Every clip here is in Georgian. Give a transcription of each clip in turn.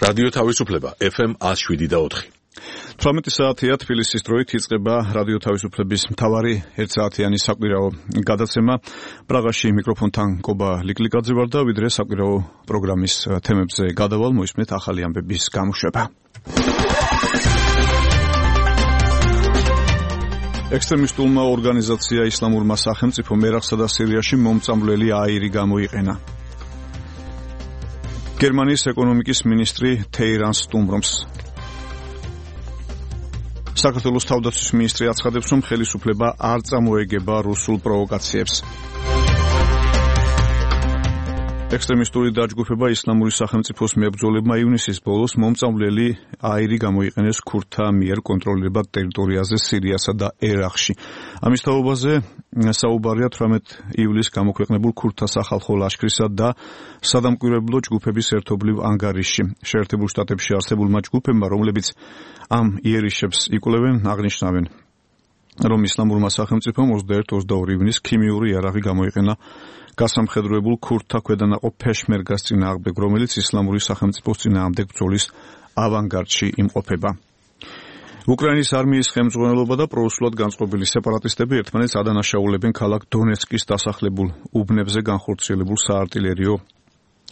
რადიო თავისუფლება FM 107.4. 18 საათია თბილისის დროით იწყება რადიო თავისუფლების მთავარი 1 საათიანი საკვირაო გადაცემა. პრაღაში მიკროფონთან კობა ლიკლიკაძე ვარ და ვიდრე საკვირაო პროგრამის თემებზე გადავალ, მოისმენთ ახალი ამბების გამოშვება. ექსტრემისტულმა ორგანიზაცია ისლამურმა სახელმწიფომ ერაყსა და სირიაში მომწამვლელი აირი გამოიყენა. გერმანიის ეკონომიკის მინისტრი თეირანს სტუმრობს. საქართველოს თავდაცვის მინისტრი აცხადებს, რომ ხელისუფლება არ წამოეგება რუსულ პროვოკაციებს. ექსტრემისტული დაჯგუფება ისლამური სახელმწიფოს მებრძოლებმა ივნისის ბოლოს მომწამვლელი აირი გამოიყენეს ქურთთა მიერ კონტროლირებად ტერიტორიაზე სირიასა და ერაყში. ამის თაობაზე საუბარია 18 ივლისს გამოქვეყნებულ ქურთთა სახალხო ლაშქრისა და სადამკვირვებლო ჯგუფების ერთობლივ ანგარიშში. შეერთებულ შტატებში არსებულმა ჯგუფებმა, რომლებიც ამ იერიშებს იკვლევენ, აღნიშნავენ, რომ ისლამურმა სახელმწიფომ 21-22 ივნისს ქიმიური იარაღი გამოიყენა გასამხედროებულ ქურთთა ქვედანაყოფ ფეშმერგას წინააღმდეგ, რომელიც ისლამური სახელმწიფოს წინააღმდეგ ბრძოლის ავანგარდში იმყოფება. უკრაინის არმიის ხელმძღვანელობა და პრორუსულად განწყობილი სეპარატისტები ერთმანეთს ადანაშაულებენ ქალაქ დონეცკის დასახლებულ უბნებზე განხორციელებულ საარტილერიო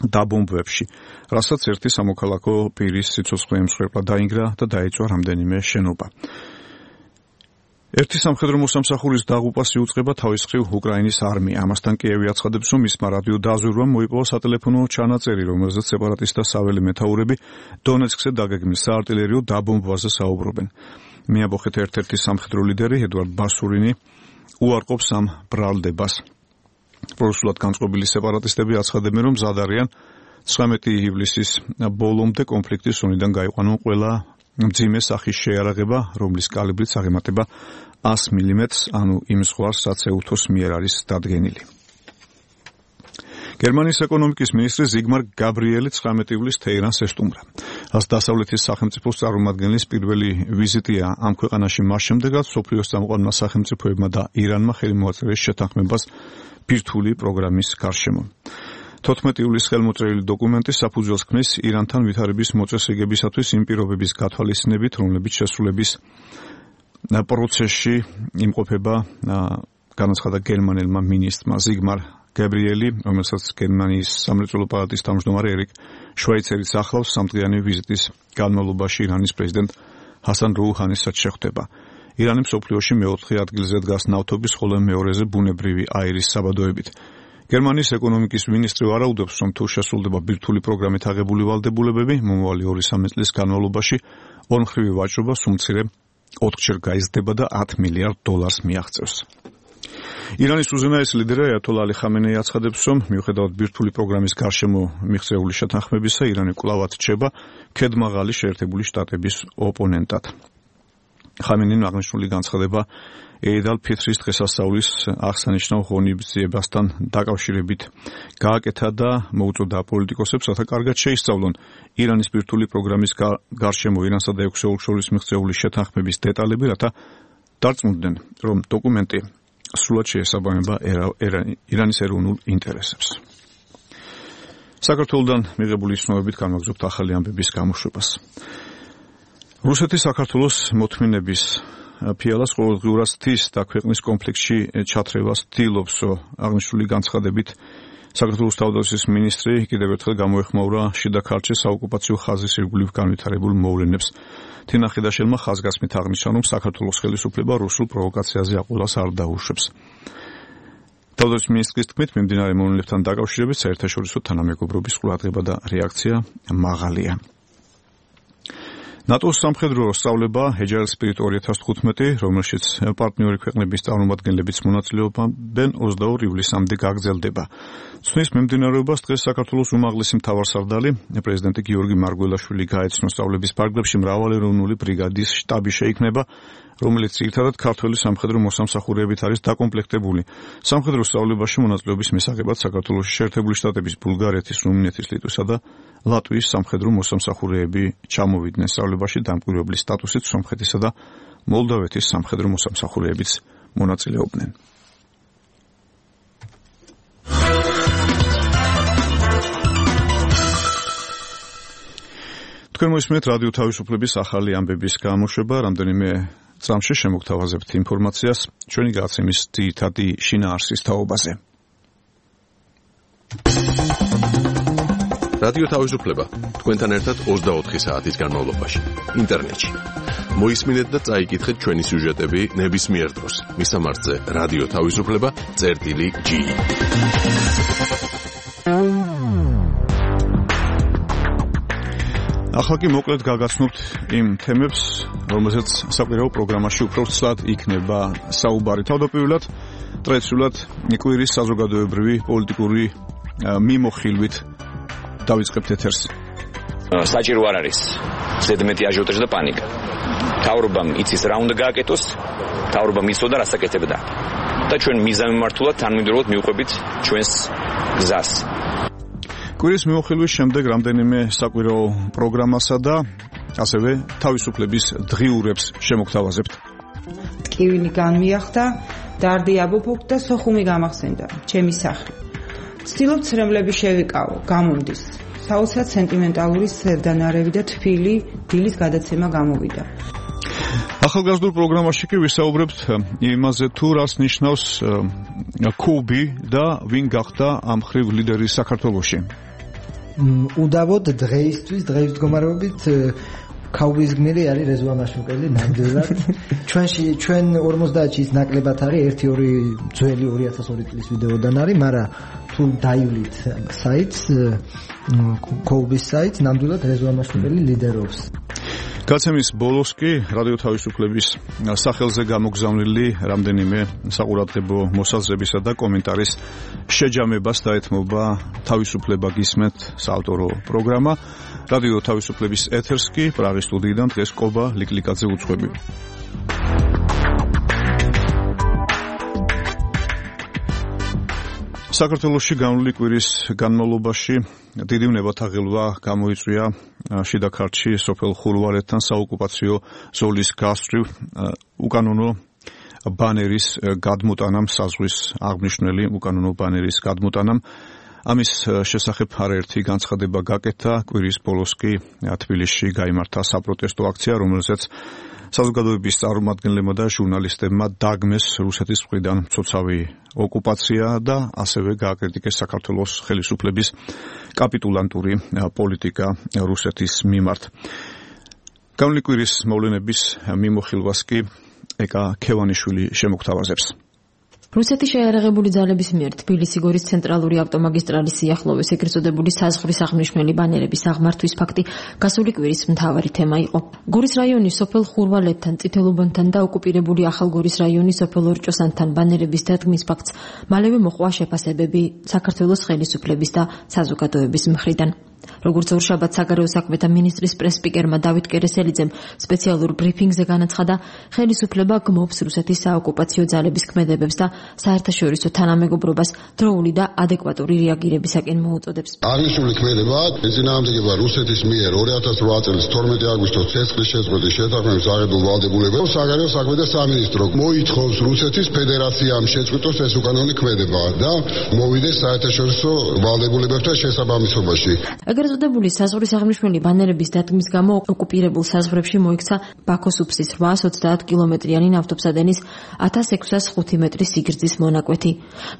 დაბომბვებში, რასაც ერთი სამოქალაქო პირის სიცოცხლე ემსხვერპლა დაინგრა და დაეწვა რამდენიმე შენობა. ერთი სამხედრო მოსამსახურის დაღუპვას იუწყება თავის მხრივ უკრაინის არმია. ამასთან კიევი აცხადებს, რომ მისმა რადიო დაზვერვამ მოიპოვა სატელეფონო ჩანაწერი, რომელზეც სეპარატისტთა საველე მეთაურები დონეცკზე დაგეგმის საარტილერიო დაბომბვაზე საუბრობენ. მიაბოხეთ ერთ-ერთი სამხედრო ლიდერი ედვარდ ბასურინი უარყოფს ამ ბრალდებას. პრორუსულად განწყობილი სეპარატისტები აცხადებენ, რომ მზად არიან 19 ივლისის ბოლომდე კონფლიქტის ზონიდან გაიყვანონ ყველა მძიმე სახის შეიარაღება, რომლის კალიბრიც აღემატება 100 მმ-ს, ანუ იმ ზღვარს, რაც ეუთოს მიერ არის დადგენილი. გერმანიის ეკონომიკის მინისტრი ზიგმარ გაბრიელი 19 ივლისს თეირანს ესტუმრა. რაც დასავლეთის სახელმწიფოს წარმომადგენლის პირველი ვიზიტია ამ ქვეყანაში მას შემდეგ, რაც მსოფლიოს წამყვანმა სახელმწიფოებმა და ირანმა ხელი მოაწერეს შეთანხმებას ბირთვული პროგრამის გარშემო. 14 ივლისს ხელმოწერილი დოკუმენტი საფუძველს ქმნის ირანთან ვითარების მოწესრიგებისათვის იმ პირობების გათვალისწინებით, რომლებიც შესრულების პროცესში იმყოფება, განაცხადა გერმანელმა მინისტრმა ზიგმარ გაბრიელი, რომელსაც გერმანიის სამრეწველო პალატის თავმჯდომარე ერიკ შვაიცერიც ახლავს სამდღიანი ვიზიტის განმავლობაში ირანის პრეზიდენტ ჰასან როუჰანისაც შეხვდება. ირანი მსოფლიოში მეოთხე ადგილზე დგას ნავთობის, ხოლო მეორეზე ბუნებრივი აირის საბადოებით. გერმანიის ეკონომიკის მინისტრი ვარაუდობს, რომ თუ შესრულდება ბირთვული პროგრამით აღებული ვალდებულებები, მომავალი 2-3 წლის განმავლობაში ორმხრივი ვაჭრობა სულ მცირე 4-ჯერ გაიზრდება და $10 მილიარდ მიაღწევს. ირანის უზენაესი ლიდერი აიათოლა ალი ხამენეი აცხადებს, რომ მიუხედავად ბირთვული პროგრამის გარშემო მიღწეული შეთანხმებისა, ირანი კვლავაც რჩება ქედმაღალი შეერთებული შტატების ოპონენტად. ხამენეიმ აღნიშნული განცხადება ეიდ ალ-ფიტრის დღესასწაულის აღსანიშნავ ღონისძიებასთან დაკავშირებით გააკეთა და მოუწოდა პოლიტიკოსებს, რათა კარგად შეისწავლონ ირანის ბირთვული პროგრამის გარშემო ირანსა და 6 ოლქს შორის მიღწეული შეთანხმების დეტალები, რათა დარწმუნდნენ, რომ დოკუმენტი სრულად შეესაბამება ირანის ეროვნულ ინტერესებს. საქართველოსთან მიღებული ცნობებით განვაგრძობთ ახალი ამბების გამოშვებას. რუსეთი საქართველოს მოთმინების ფიალას ყოველდღიურად ცდის და ქვეყნის კონფლიქტში ჩათრევას ცდილობს. აღნიშნული განცხადებით საქართველოს თავდაცვის მინისტრი კიდევ ერთხელ გამოეხმაურა შიდა ქართლის საოკუპაციო ხაზის ირგვლივ განვითარებულ მოვლენებს. თინა ხიდაშელმა ხაზგასმით აღნიშნა, რომ საქართველოს ხელისუფლება რუსულ პროვოკაციაზე აყოლას არ დაუშვებს. თავდაცვის მინისტრის თქმით, მიმდინარე მოვლენებთან დაკავშირებით საერთაშორისო თანამეგობრობის ყურადღება და რეაქცია მაღალია. ნატოს სამხედრო სწავლება Agile Spirit 2015, რომელშიც პარტნიორი ქვეყნების წარმომადგენლებიც მონაწილეობენ, 22 ივლისამდე გაგრძელდება. ცნის მიმდინარეობას დღეს საქართველოს უმაღლესი მთავარსარდალი პრეზიდენტი გიორგი მარგველაშვილი გაეცნო. სწავლების ფარგლებში მრავალეროვნული ბრიგადის შტაბი შეიქმნება, რომელიც ძირითადად ქართველი სამხედრო მოსამსახურეებით არის დაკომპლექტებული. სამხედრო სწავლებაში მონაწილეობის მისაღებად საქართველოში შეერთებული შტატების, ბულგარეთის, რუმინეთის, ლიტვისა და ლატვიის სამხედრო მოსამსახურეები ჩამოვიდნენ. სწავლებაში დამკვირვებლის სტატუსით სომხეთისა და მოლდავეთის სამხედრო მოსამსახურეებიც მონაწილეობდნენ. თქვენ მოისმენთ რადიო თავისუფლების ახალი ამბების გამოშვება, რამდენიმე წამში შემოგთავაზებთ ინფორმაციას ჩვენი გადაცემის ძირითადი შინაარსის თაობაზე. რადიო თავისუფლება თქვენთან ერთად 24 საათის განმავლობაში ინტერნეტში. მოისმინეთ და წაიკითხეთ ჩვენი სიუჟეტები ნებისმიერ დროს. მისამართზე რადიო თავისუფლება.gi. ახლა კი მოკლედ გაგაცნობთ იმ თემებს, რომელზეც საკვირაო პროგრამაში უფრო ცლად იქნება საუბარი. თავდაპირველად ტრადიციულად კვირის საზოგადოებრივი პოლიტიკური მიმოხილვით დავიწყებთ ეთერს. საჭირო არ არის ზედმეტი აჟიოტაჟი და პანიკა. თავრობამ იცის რა უნდა გააკეთოს, თავრობამ იცოდა რას აკეთებდა. და ჩვენ მიზანმიმართულად თანმიმდევრულად მივყვებით ჩვენს გზას. კვირის მიმოხილვის შემდეგ რამდენიმე საკვირაო პროგრამასა და ასევე თავისუფლების დღიურებს შემოგთავაზებთ. ტკივილი განმიახდა, დარდი აბოფოქ და სოხუმი გამახსენდა, ჩემი სახლი. ვცდილობ ცრემლები შევიკავო, გამომდის. საოცრად სენტიმენტალური სევდანარევი და თბილი დილის გადაცემა გამოვიდა. ახალგაზრდულ პროგრამაში კი ვისაუბრებთ იმაზე თუ რას ნიშნავს კუბი და ვინ გახდა ამ ხრივ ლიდერი საქართველოში. უდავოდ დღეისთვის მდგომარეობით ქაუბის გმირი არის რეზვა მაშუკელი ნამდვილად. ჩვენ 50-ში ის ნაკლებად არის 1-2 ძველი 2002 წლის ვიდეოდან არის, მაგრამ თუ დაივლით საიტს ქაუბის საიტს ნამდვილად რეზვა მაშუკელი ლიდერობს. გაცემის ბოლოს კი რადიო თავისუფლების სახელზე გამოგზავნილი რამდენიმე საყურადღებო მოსაზრებისა და კომენტარის შეჯამებას დაეთმობა თავისუფლება გისმენთ საავტორო პროგრამა. რადიო თავისუფლების ეთერს კი პრაღის სტუდიიდან დღეს კობა ლიკლიკაძე უძღვები. საქართველოში განვლილი კვირის განმავლობაში დიდი ნებათაღელვა გამოიწვია შიდა ქართლში სოფელ ხურვალეთთან საოკუპაციო ზოლის გასწვრივ უკანონო ბანერის გადმოტანამ, საზღვის აღნიშნული უკანონო ბანერის გადმოტანამ. ამის შესახებ არაერთი განცხადება გაკეთა. კვირის ბოლოს კი თბილისში გაიმართა საპროტესტო აქცია, რომელზეც საზოგადოების წარმომადგენლებმა და ჟურნალისტებმა დაგმეს რუსეთის მხრიდან მცოცავი ოკუპაცია და ასევე გააკრიტიკეს საქართველოს ხელისუფლების კაპიტულანტური პოლიტიკა რუსეთის მიმართ. განვლილი კვირის მოვლენების მიმოხილვას კი ეკა ქევანიშვილი შემოგთავაზებს. რუსეთის შეიარაღებული ძალების მიერ თბილისი-გორის ცენტრალური ავტომაგისტრალის სიახლოვეს ეგრეთ წოდებული საზღვრის აღნიშნული ბანერების აღმართვის ფაქტი გასული კვირის მთავარი თემა იყო. გორის რაიონის სოფელ ხურვალეთთან, წითელუბანთან და ოკუპირებული ახალგორის რაიონის სოფელ ორჭოსანთან ბანერების დადგმის ფაქტს მალევე მოყვა შეფასებები საქართველოს ხელისუფლების და საზოგადოების მხრიდან. როგორც ორშაბათს საგარეო საქმეთა მინისტრის პრეს-სპიკერმა დავით კერესელიძემ სპეციალურ ბრიფინგზე განაცხადა, ხელისუფლება გმობს რუსეთის საოკუპაციო ძალების ქმედებებს და საერთაშორისო თანამეგობრობას დროული და ადეკვატური რეაგირებისაკენ მოუწოდებს. აღნიშნული ქმედება ეწინააღმდეგება რუსეთის მიერ 2008 წლის 12 აგვისტოს ცეცხლის შეწყვეტის შეთანხმების აღებულ ვალდებულებებს. საგარეო საქმეთა სამინისტრო მოითხოვს რუსეთის ფედერაციამ შეწყვიტოს ეს უკანონო ქმედება და მოვიდეს საერთაშორისო ვალდებულებებთან შესაბამისობაში. ეგრეთ წოდებული საზღვრის აღნიშნული ბანერების დადგმის გამო ოკუპირებულ საზღვრებში მოიქცა ბაქოს-უბსის 830 კილომეტრიანი ნავთობსადენის 1605 მეტრის სიგრძის მონაკვეთი.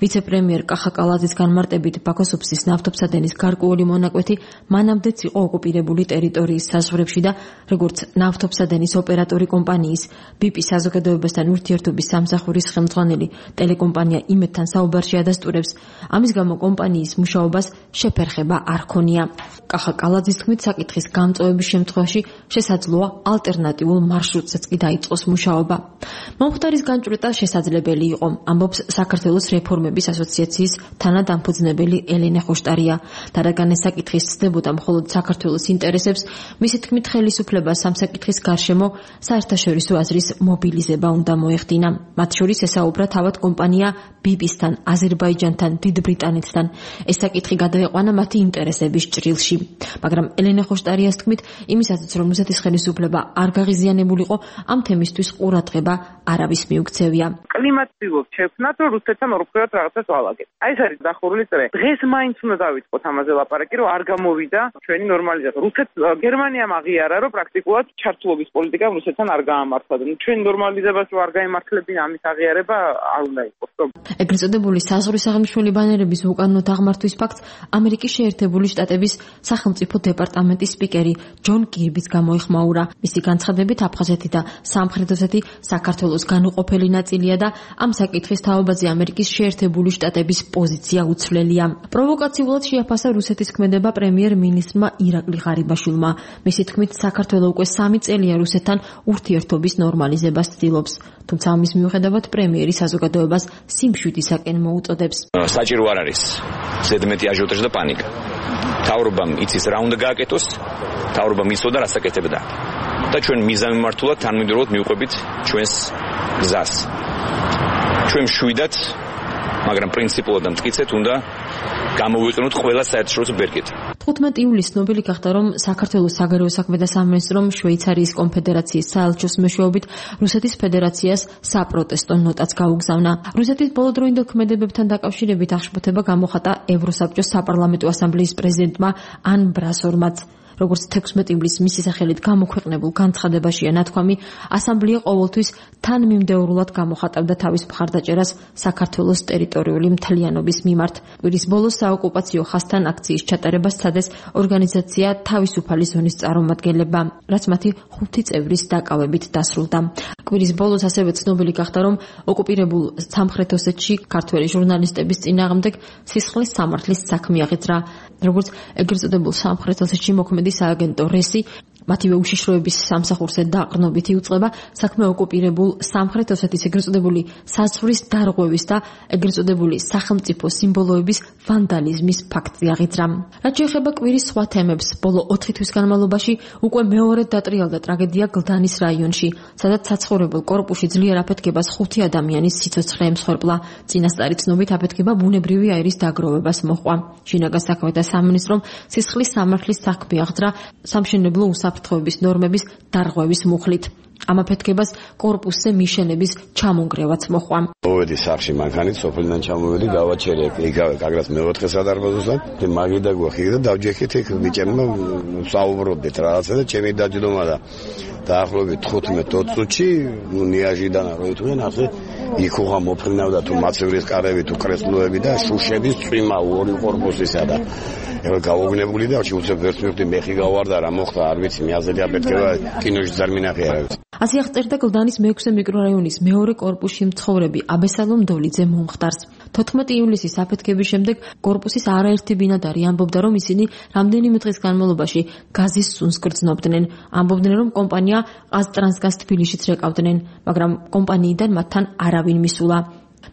ვიცე-პრემიერ კახა კალაძის განმარტებით ბაქოს-უბსის ნავთობსადენის გარკვეული მონაკვეთი მანამდეც იყო ოკუპირებული ტერიტორიის საზღვრებში და როგორც ნავთობსადენის ოპერატორი კომპანიის BP საზოგადოებასთან ურთიერთობის სამსახურის ხელმძღვანელი ტელეკომპანია იმედთან საუბარში ადასტურებს, ამის გამო კომპანიის მუშაობას შეფერხება არ ქონია. კახა კალაძის თქმით, საკითხის გამწვევების შემთხვევაში შესაძლოა ალტერნატიულ მარშრუტზეც კი დაიწყოს მუშაობა. მომხდარის განჭვრეტა შესაძლებელი იყო, ამბობს საქართველოს რეფორმების ასოციაციის თანადამფუძნებელი ელენე ხოშტარია. და რადგან ეს საკითხი სცდებოდა მხოლოდ საქართველოს ინტერესებს, მისი თქმით, ხელისუფლებას ამ საკითხის გარშემო საერთაშორისო აზრის მობილიზება უნდა მოეხდინა. მათ შორის ესაუბრა თავად კომპანია BP-სთან, აზერბაიჯანთან, დიდ ბრიტანეთთან. ეს საკითხი გადაეყვანა მათი ინტერესების ჭრილში. მაგრამ ელენე ხოშტარიას თქმით, იმისათვის რომ რუსეთის ხელისუფლება არ გაღიზიანებულიყო, ამ თემისთვის ყურადღება არავის მიუქცევია. კლიმატს ვიღებთ შექმნათ, რომ რუსეთთან ორფერად რაღაცას ვალაგეთ. აი ეს არის დახურული წრე. დღეს მაინც უნდა დავიწყოთ ამაზე ლაპარაკი, რომ არ გამოვიდა ჩვენი ნორმალიზაცია. გერმანიამ აღიარა, რომ პრაქტიკულად ჩართულობის პოლიტიკა რუსეთთან არ გაამართლა. ჩვენი ნორმალიზებას რო არ გაემართლებინა, ამის აღიარება არ უნდა იყოს. ეგრეთ წოდებული საზღვრის აღნიშნული ბანერების უკანონო დაღმართვის ფაქტს ამერიკის შეერთებული შტატების სახელმწიფო დეპარტამენტის სპიკერი ჯონ კირბიც გამოიხმაურა. მისი განცხადებით აფხაზეთი და სამხრეთ ოსეთი საქართველოს განუყოფელი ნაწილია და ამ საკითხის თაობაზე ამერიკის შეერთებული შტატების პოზიცია უცვლელია. პროვოკაციულად შეაფასა რუსეთის ქმედება პრემიერ-მინისტრმა ირაკლი ღარიბაშვილმა. მისი თქმით, საქართველო უკვე 3 წელია რუსეთთან ურთიერთობის ნორმალიზებას ცდილობს. თუმცა ამის მიუხედავად პრემიერი საზოგადოებას სიმშვიდისაკენ მოუწოდებს. საჭირო არ არის ზედმეტი აჟიოტაჟი და პანიკა. მთავრობამ იცის რა უნდა გააკეთოს, მთავრობამ იცოდა რა საკეთებდა. და ჩვენ მიზანმიმართულად თანმიმდევრულად მივყვებით ჩვენს გზას. ჩვენ მშვიდად, მაგრამ პრინციპულად და მტკიცედ უნდა გამოვიყენოთ ყველა საერთაშორისო ბერკეტ. 15 ივლისს ცნობილი გახდა, რომ საქართველოს საგარეო საქმეთა სამინისტრომ შვეიცარიის კონფედერაციის საელჩოს მეშვეობით რუსეთის ფედერაციას საპროტესტო ნოტაც გაუგზავნა. რუსეთის ბოლოდროინდელ ქმედებებთან დაკავშირებით აღშფოთება გამოხატა ევროსაბჭოს საპარლამენტო ასამბლეის პრეზიდენტმა ან ბრასორმაც. როგორც 16 ივლისს მისი სახელით გამოქვეყნებულ განცხადებაშია ნათქვამი, ასამბლეა ყოველთვის თანმიმდევრულად გამოხატავდა თავის მხარდაჭერას საქართველოს ტერიტორიული მთლიანობის მიმართ. კვირის ბოლოს საოკუპაციო ხაზთან აქციის ჩატარებას სცადეს ორგანიზაცია თავისუფალი ზონის წარმომადგენლებმა, რაც მათი 5 წევრის დაკავებით დასრულდა. კვირის ბოლოს ასევე ცნობილი გახდა, რომ ოკუპირებულ სამხრეთ ოსეთში ქართველი ჟურნალისტების წინააღმდეგ სისხლის სამართლის საქმე აღიძრა. როგორც ეგრეთ წოდებულ სამხრეთ ოსეთში მოქმედი სააგენტო რესი მათივე უშიშროების სამსახურზე დაყრდნობით იუწყება საქმე ოკუპირებულ სამხრეთ ოსეთის ეგრეთ წოდებული საზღვრის დარღვევის და ეგრეთ წოდებული სახელმწიფო სიმბოლოების ვანდალიზმის ფაქტი აღიძრა. რაც შეეხება კვირის სხვა თემებს, ბოლო 4 თვის განმავლობაში უკვე მეორედ დატრიალდა ტრაგედია გლდანის რაიონში, სადაც საცხოვრებელ კორპუსში ძლიერ აფეთქებას 5 ადამიანის სიცოცხლე ემსხვერპლა. წინასწარი ცნობით აფეთქება ბუნებრივი აირის დაგროვებას მოჰყვა. შინაგან საქმეთა სამინისტრომ სისხლის სამართლის საქმე აღძრა სამშენებლო უსაფრთხოების ნორმების დარღვევის მუხლით. ამ აფეთქებას კორპუსზე მიშენების ჩამონგრევაც მოჰყვა. მოვედი სახში მანქანით, სოფლიდან ჩამოვედი, გავაჩერე იგავე კაგრას მეოთხე სადარბაზოსთან, მაგიდა გვახი და დავჯექით იქ ბიჭებმა საუბრობდით რაღაცა და ჩემი დაჯდომა და დაახლოებით 15-20 წუთში ნიაჟიდან რო იტყვიან ასე იქუღა მოფრინავდა თუ მაცივრის კარები თუ კრესლოები და შუშების წვიმა ორი კორპუსისა და ეხლა გავოგნებული და უცებ ვერც მივხვდი მეხი გავარდა რა მოხდა არ ვიცი მე აზრი აფეთქება კინოში ძარ მინახე არა ვიცი. ასე აღწერდა გლდანის მე-6 მიკრორაიონის მეორე კორპუსში მცხოვრები აბესალომ დოლიძე მომხდარს. 14 ივლისის აფეთქების შემდეგ კორპუსის არაერთი ბინადარი ამბობდა, რომ ისინი რამდენიმე დღის განმავლობაში გაზის სუნს გრძნობდნენ. ამბობდნენ, რომ კომპანია ყაზტრანსგაზ თბილისშიც რეკავდნენ, მაგრამ კომპანიიდან მათთან არავინ მისულა.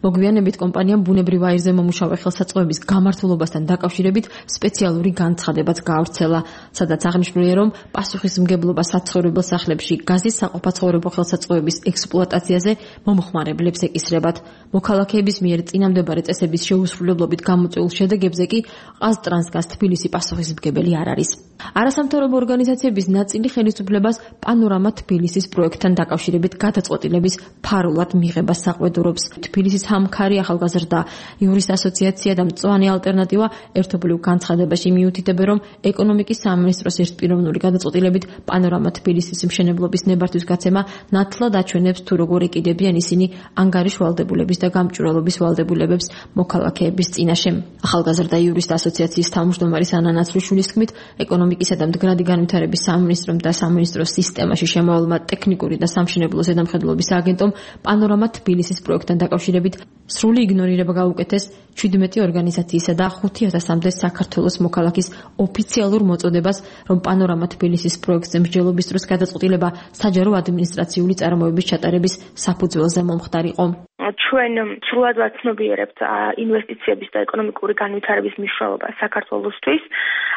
მოგვიანებით კომპანიამ ბუნებრივ აირზე მომუშავე ხელსაწყოების გამართულობასთან დაკავშირებით სპეციალური განცხადებაც გაავრცელა, სადაც აღნიშნულია, რომ პასუხისმგებლობა საცხოვრებელ სახლებში გაზის საყოფაცხოვრებო ხელსაწყოების ექსპლუატაციაზე მომხმარებლებს ეკისრებათ. მოქალაქეების მიერ წინამდებარე წესების შეუსრულებლობით გამოწვეულ შედეგებზე კი ყაზტრანსგაზ თბილისი პასუხისმგებელი არ არის. არასამთავრობო ორგანიზაციების ნაწილი ხელისუფლებას პანორამა თბილისის პროექტთან დაკავშირებით გადაწყვეტილების ფარულად მიღებას საყვედურობს. თბილისის ჰამქარი ახალგაზრდა იურის ასოციაცია და მწვანე ალტერნატივა ერთობლივ განცხადებაში მიუთითებენ, რომ ეკონომიკის სამინისტროს ერთპიროვნული გადაწყვეტილებით პანორამა თბილისის მშენებლობის ნებართვის გაცემა ნათლად აჩვენებს თუ როგორ ეკიდებიან ისინი ანგარიშ ვალდებულების და გამჭვირვალობის ვალდებულებებს მოქალაქეების წინაშე. ახალგაზრდა იურისტ ასოციაციის თავმჯდომარის ანა ნაცრიშვილის თქმით, ეკონომიკისა და მდგრადი განვითარების სამინისტრომ და სამინისტროს სისტემაში შემოვალმა ტექნიკური და სამშენებლო ზედამხედველობის აგენტომ პანორამა თბილისის პროექტთან დაკავშირებით სრული იგნორირება გაუკეთეს 17 ორგანიზაციისა და 5000-მდე საქართველოს მოქალაქის ოფიციალურ მოწოდებას, რომ პანორამა თბილისის პროექტზე მსჯელობის დროს გადაწყვეტილება საჯარო ადმინისტრაციული წარმოების ჩატარების საფუძველზე მომხდარიყო. ჩვენ სრულად ვაცნობიერებთ ინვესტიციების და ეკონომიკური განვითარების მნიშვნელობა საქართველოსთვის,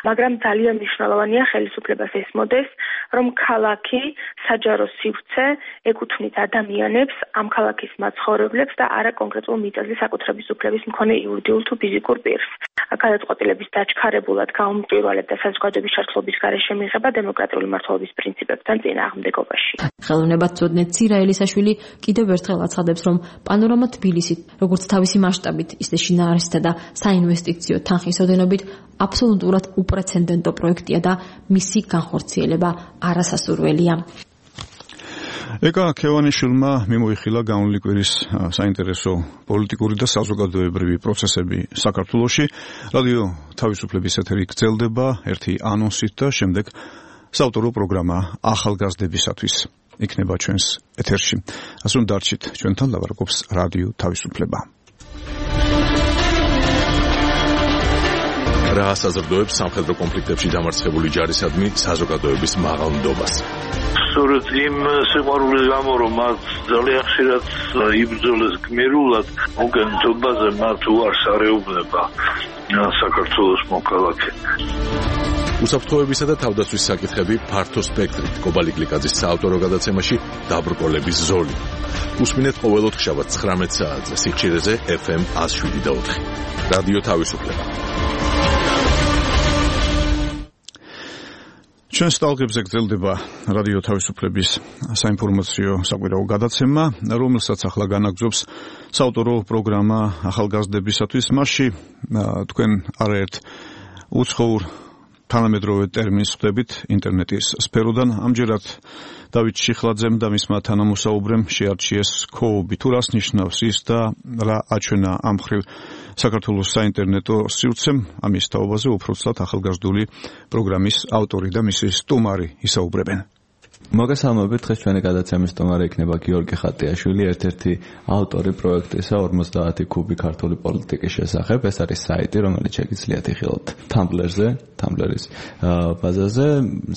მაგრამ ძალიან მნიშვნელოვანია ხელისუფლებას ესმოდეს, რომ ქალაქი საჯარო სივრცე ეკუთვნის ადამიანებს, ამ ქალაქის მაცხოვრებლებს და არა კონკრეტულ მიწაზე საკუთრების უფლების მქონე იურიდიულ თუ ფიზიკურ პირს. გადაწყვეტილების დაჩქარებულად გაუმტვირვალებდა საზოგადოების ჩართულობის გარეშე მიღება დემოკრატიული მმართველობის პრინციპებთან წინააღმდეგობაში. ხელოვნებაცოდნე ცირა ელისაშვილი კიდევ ერთხელ აცხადებს, რომ პანორამა თბილისი, როგორც თავისი მასშტაბით, ისე შინაარესთა და საინვესტიციო თანხის ოდენობით აბსოლუტურად უპრეცედენტო პროექტია და მისი განხორციელება არასასურველია. ეკა ქევანიშვილმა მიმოიხილა განვლილი კვირის საინტერესო პოლიტიკური და საზოგადოებრივი პროცესები საქართველოში. რადიო თავისუფლების ეთერი გრძელდება ერთი ანონსით და შემდეგ საავტორო პროგრამა ახალგაზრდებისათვის იქნება ჩვენს ეთერში. ასე რომ დარჩით ჩვენთან, ლაპარაკობს რადიო თავისუფლება. რა საზრდოებს სამხედრო კონფლიქტებში დამარცხებული ჯარისადმი საზოგადოების მაღალ ნდობას. სწორედ იმ სიყვარულის გამო, რომ მათ ძალიან ხშირად იბრძოლეს გმირულად, მოგენთობაზე მათ უარს არეუბნება საქართველოს მოქალაქე. უსაფრთხოებისა და თავდაცვის საკითხები ფართო სპექტრით. კობალი გლიკაძის საავტორო გადაცემაში დაბრკოლების ზოლი. უსმინეთ ყოველ ოთხშაბათს 19 საათზე სიხშირეზე FM 107.4. რადიო თავისუფლება. ჩვენ სტალკებზე გრძელდება რადიო თავისუფლების საინფორმაციო საკვირაო გადაცემა, რომელსაც ახლა განაგრძობს საავტორო პროგრამა ახალგაზრდებისათვის. მასში თქვენ არაერთ უცხოურ თანამედროვე ტერმინს ხვდებით ინტერნეტის სფეროდან. ამჯერად დავით შიხლაძემ და მისმა თანამოსაუბრემ შეარჩიეს ქოუბი. თუ რას ნიშნავს ის და რა აჩვენა ამ მხრივ საქართველოს საინტერნეტო სივრცემ, ამის თაობაზე უბრალოდ ახალგაზრდული პროგრამის ავტორი და მისი სტუმარი ისაუბრებენ. მოგესალმებით, დღეს ჩვენი გადაცემის სტუმარი იქნება გიორგი ხატიაშვილი, ერთ-ერთი ავტორი პროექტისა 50 კუბი ქართული პოლიტიკის შესახებ. ეს არის საიტი, რომელიც შეგიძლიათ იხილოთ Tumblr-ის ბაზაზე.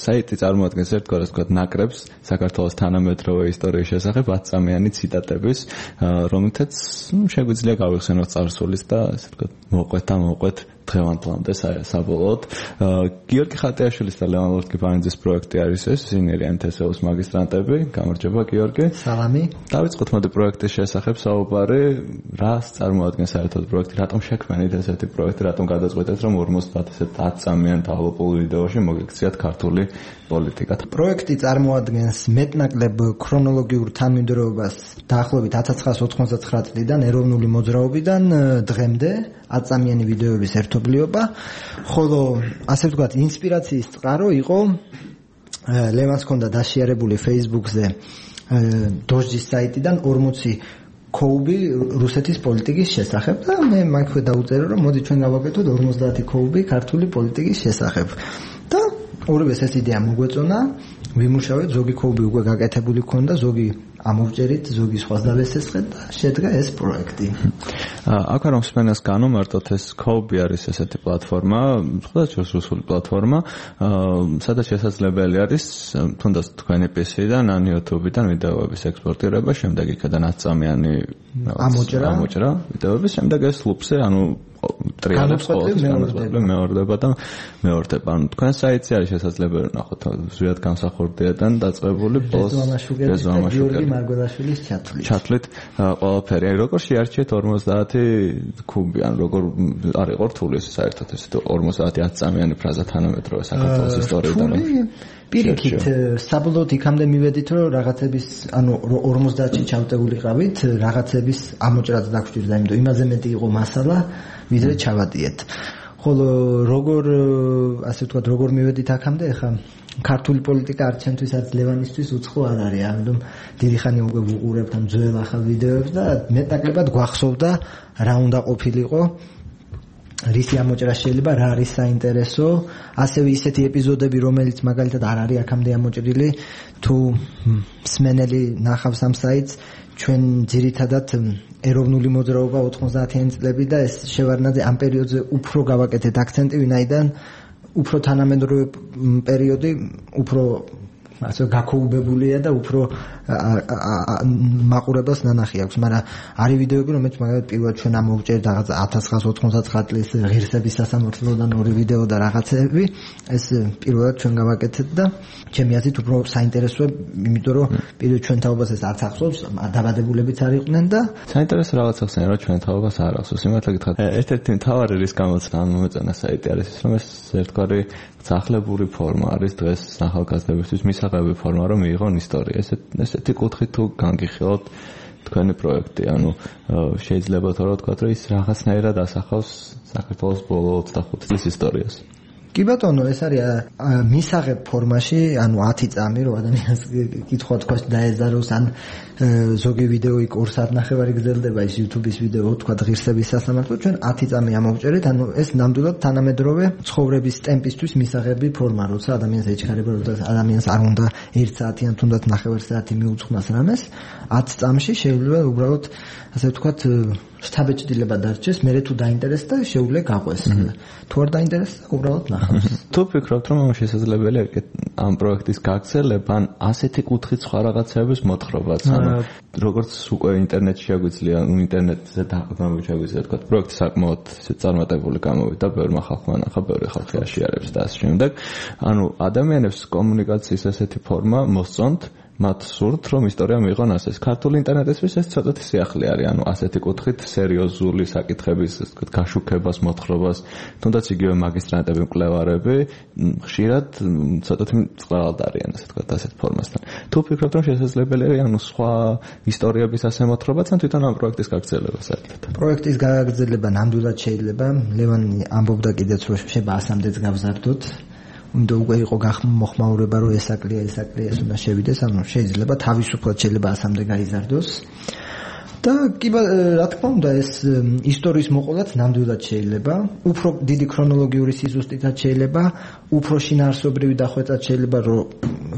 საიტი წარმოადგენს ერთგვარად ვთქვათ ნაკრებს საქართველოს თანამედროვე ისტორიის შესახებ 10 წამიანი ციტატების, რომლითაც შეგვიძლია გავიხსენოთ წარსულის და ასე ვთქვათ მოყვეთ დღევანდლამდე საბოლოოდ. გიორგი ხატიაშვილის და ლევან ლორთქიფანიძის პროექტი არის ეს, ისინი არიან თესეუს მაგისტრანტები. გამარჯობა გიორგი. სალამი. დავიწყოთ მოდი პროექტის შესახებ საუბარი. რას წარმოადგენს საერთოდ პროექტი? რატომ შექმნით ესეთი პროექტი? რატომ გადაწყვეტეთ რომ 50 ესეთ 10 წამიან დავლოპულ ვიდეოში მოგექციათ ქართული პოლიტიკა? პროექტი წარმოადგენს მეტნაკლებ ქრონოლოგიურ თანმიმდევრობას დაახლოებით 1999 წლიდან ეროვნული მოძრაობიდან დღემდე 10 წამიანი ვიდეოების ერთობლიობა, ხოლო ასე ვთქვათ ინსპირაციის წყარო იყო ლევანს ჰქონდა დაშიარებული Facebook-ზე დოჟჯის საიტიდან 40 ქოუბი რუსეთის პოლიტიკის შესახებ და მე მაქვე დაუწერე რომ მოდი ჩვენ გავაკეთოთ 50 ქოუბი ქართული პოლიტიკის შესახებ და ორივეს ეს იდეა მოგვეწონა, ვიმუშავეთ, ზოგი ქოუბი უკვე გაკეთებული ჰქონდა, ზოგი ამოვჭერით, ზოგი სხვას დავესესხეთ და შედგა ეს პროექტი. აქ რომ სპენას განომარტოთ, ეს ქოუბი არის ესეთი პლატფორმა, სხვადასხვა რუსული პლატფორმა, სადაც შესაძლებელი არის თუნდაც თქვენი PC-დან ან YouTube-დან ვიდეოების ექსპორტირება, შემდეგ იქიდან 10 წამიანი ამოჭრა ვიდეოების, შემდეგ ეს ლუპზე, ანუ ტრიალებს მეორდება და მეორდება. ანუ თქვენ საიტზე არის შესაძლებელი ნახოთ ზუსტად გამსახურდიიდან დაწყებული გიორგი მარგველაშვილის ჩათვლით ყველაფერი. როგორ შეარჩიეთ 50 კუბი, ან როგორ არ იყო რთული საერთოდ ეს 50 10 წამიანი ფრაზა თანამედროვე საქართველოს ისტორიიდან? პირიქით, საბოლოოდ იქამდე მივედით, რომ რაღაცების, ანუ 50-ში ჩავტეულიყავით, რაღაცების ამოჭრაც დაგვჭირდა, იმიტომ იმაზე მეტი იყო მასალა, ვიდრე ჩავატიეთ. ხოლო ასე ვთქვათ, როგორ მივედით აქამდე, ახლა ქართული პოლიტიკა არც ჩემთვის, არც ლევანისთვის უცხო არ არის, ამიტომ დიდი ხანი უკვე ვუყურებთ ამ ძველ ახალ ვიდეოებს და მეტნაკლებად გვახსოვდა რა უნდა ყოფილიყო. რისი ამოჭრა შეიძლება, რა არის საინტერესო, ასევე ისეთი ეპიზოდები, რომელიც მაგალითად არ არის აქამდე ამოჭრილი, თუ მსმენელი ნახავს ამ საიტს, ჩვენ ძირითადად ეროვნული მოძრაობა 90-იანი წლები და ეს შევარდნაძე ამ პერიოდზე უფრო გავაკეთეთ აქცენტი, ვინაიდან უფრო თანამედროვე პერიოდი, უფრო ასე გაქოუბებულია და უფრო მაყურებელს ნანახი აქვს, მაგრამ არის ვიდეოები, რომელიც მაგალითად პირველად ჩვენ ამოვჭერთ რაღაც 1999 წლის ღირსების სასამართლოდან ორი ვიდეო და რაღაცები, ეს პირველად ჩვენ გავაკეთეთ და ჩემი აზრით უფრო საინტერესოა, იმიტომ რომ პირველ ჩვენ თაობას ეს არც ახსოვს, დაბადებულებიც არ იყვნენ და საინტერესო რაღაც ახსენე, რომ ჩვენ თაობას არ ახსოვს. იმართლა გითხრათ, ერთ-ერთი მთავარი რის გამოც ამ მომეწონა საიტი არის ის, რომ ეს ერთგვარი ძაღლებული ფორმა არის დღეს ახალგაზრდებისთვის მისაღები ფორმა, რომ მიიღონ ისტორია. ესეთი კუთხით თუ განგიხილოთ თქვენი პროექტი, ანუ შეიძლება თორე ვთქვათ, რომ ის რაღაცნაირად ასახავს საქართველოს ბოლო 25 წლის ისტორიას. კი ბატონო, ეს არის მისაღებ ფორმაში, ანუ 10 წამი, რომ ადამიანს კითხვა თქვა დაეზაროს, ან ზოგი ვიდეო 2 საათნახევარი გრძელდება ის YouTube-ის ვიდეო, თქვა ღირსების სასამართლო, ჩვენ 10 წამი ამოვჭერეთ, ანუ ეს ნამდვილად თანამედროვე ცხოვრების ტემპისთვის მისაღები ფორმა, როცა ადამიანს ეჩქარება, როცა ადამიანს არ უნდა 1 საათი ან თუნდაც ნახევარი საათი მიუძღვნას რამეს, 10 წამში შეიძლება უბრალოდ ასე ვთქვათ შთაბეჭდილება დარჩეს, მე თუ დაინტერესდა შეუძლია გაყვეს. თუ არ დაინტერესდა, უბრალოდ ნახავს. თუ ფიქრობთ, რომ შესაძლებელია ამ პროექტის გაგრძელება, ან ასეთი კუთხით სხვა რაღაცების მოთხრობაც, ანუ როგორც უკვე ინტერნეტში შეგვიძლია, ინტერნეტზე დაყრდნობით თქვა, პროექტი საკმაოდ წარმატებული გამოვიდა, ბევრმა ხალხმა ნახა, ბევრი ხალხი აშიარებს და ასე შემდეგ. ანუ ადამიანებს კომუნიკაციის ასეთი ფორმა მოსწონთ, მათ სურთ, რომ ისტორია მიიღონ ასეს. ქართული ინტერნეტისთვის ეს ცოტათი სიახლე არის, ანუ ასეთი კუთხით სერიოზული საკითხების, ასე ვთქვათ, გაშუქებას, მოთხრობას, თუნდაც იგივე მაგისტრანტები, მკვლევარები, ხშირად ცოტათი წყალად არიან, ასე ვთქვათ, ასეთ ფორმასთან. თუ ფიქრობთ, რომ შესაძლებელია, ანუ სხვა ისტორიების ასე მოთხრობაც, ან თვითონ ამ პროექტის გაგრძელება საერთოდ? პროექტის გაგრძელება ნამდვილად შეიძლება. ლევანი ამბობდა კიდეც, რომ შეიძლება 100-მდეც გავზარდოთ. უნდა უკვე იყო მოხმაურება, რომ ესაკლია, ეს უნდა შევიდეს, ანუ შეიძლება თავისუფლად შეიძლება 100-მდე გაიზარდოს. და კი რა თქმა უნდა, ეს ისტორიის მოყოლაც ნამდვილად შეიძლება, უფრო დიდი ქრონოლოგიური სიზუსტითაც შეიძლება, უფრო შინაარსობრივი დახვეწად შეიძლება, რომ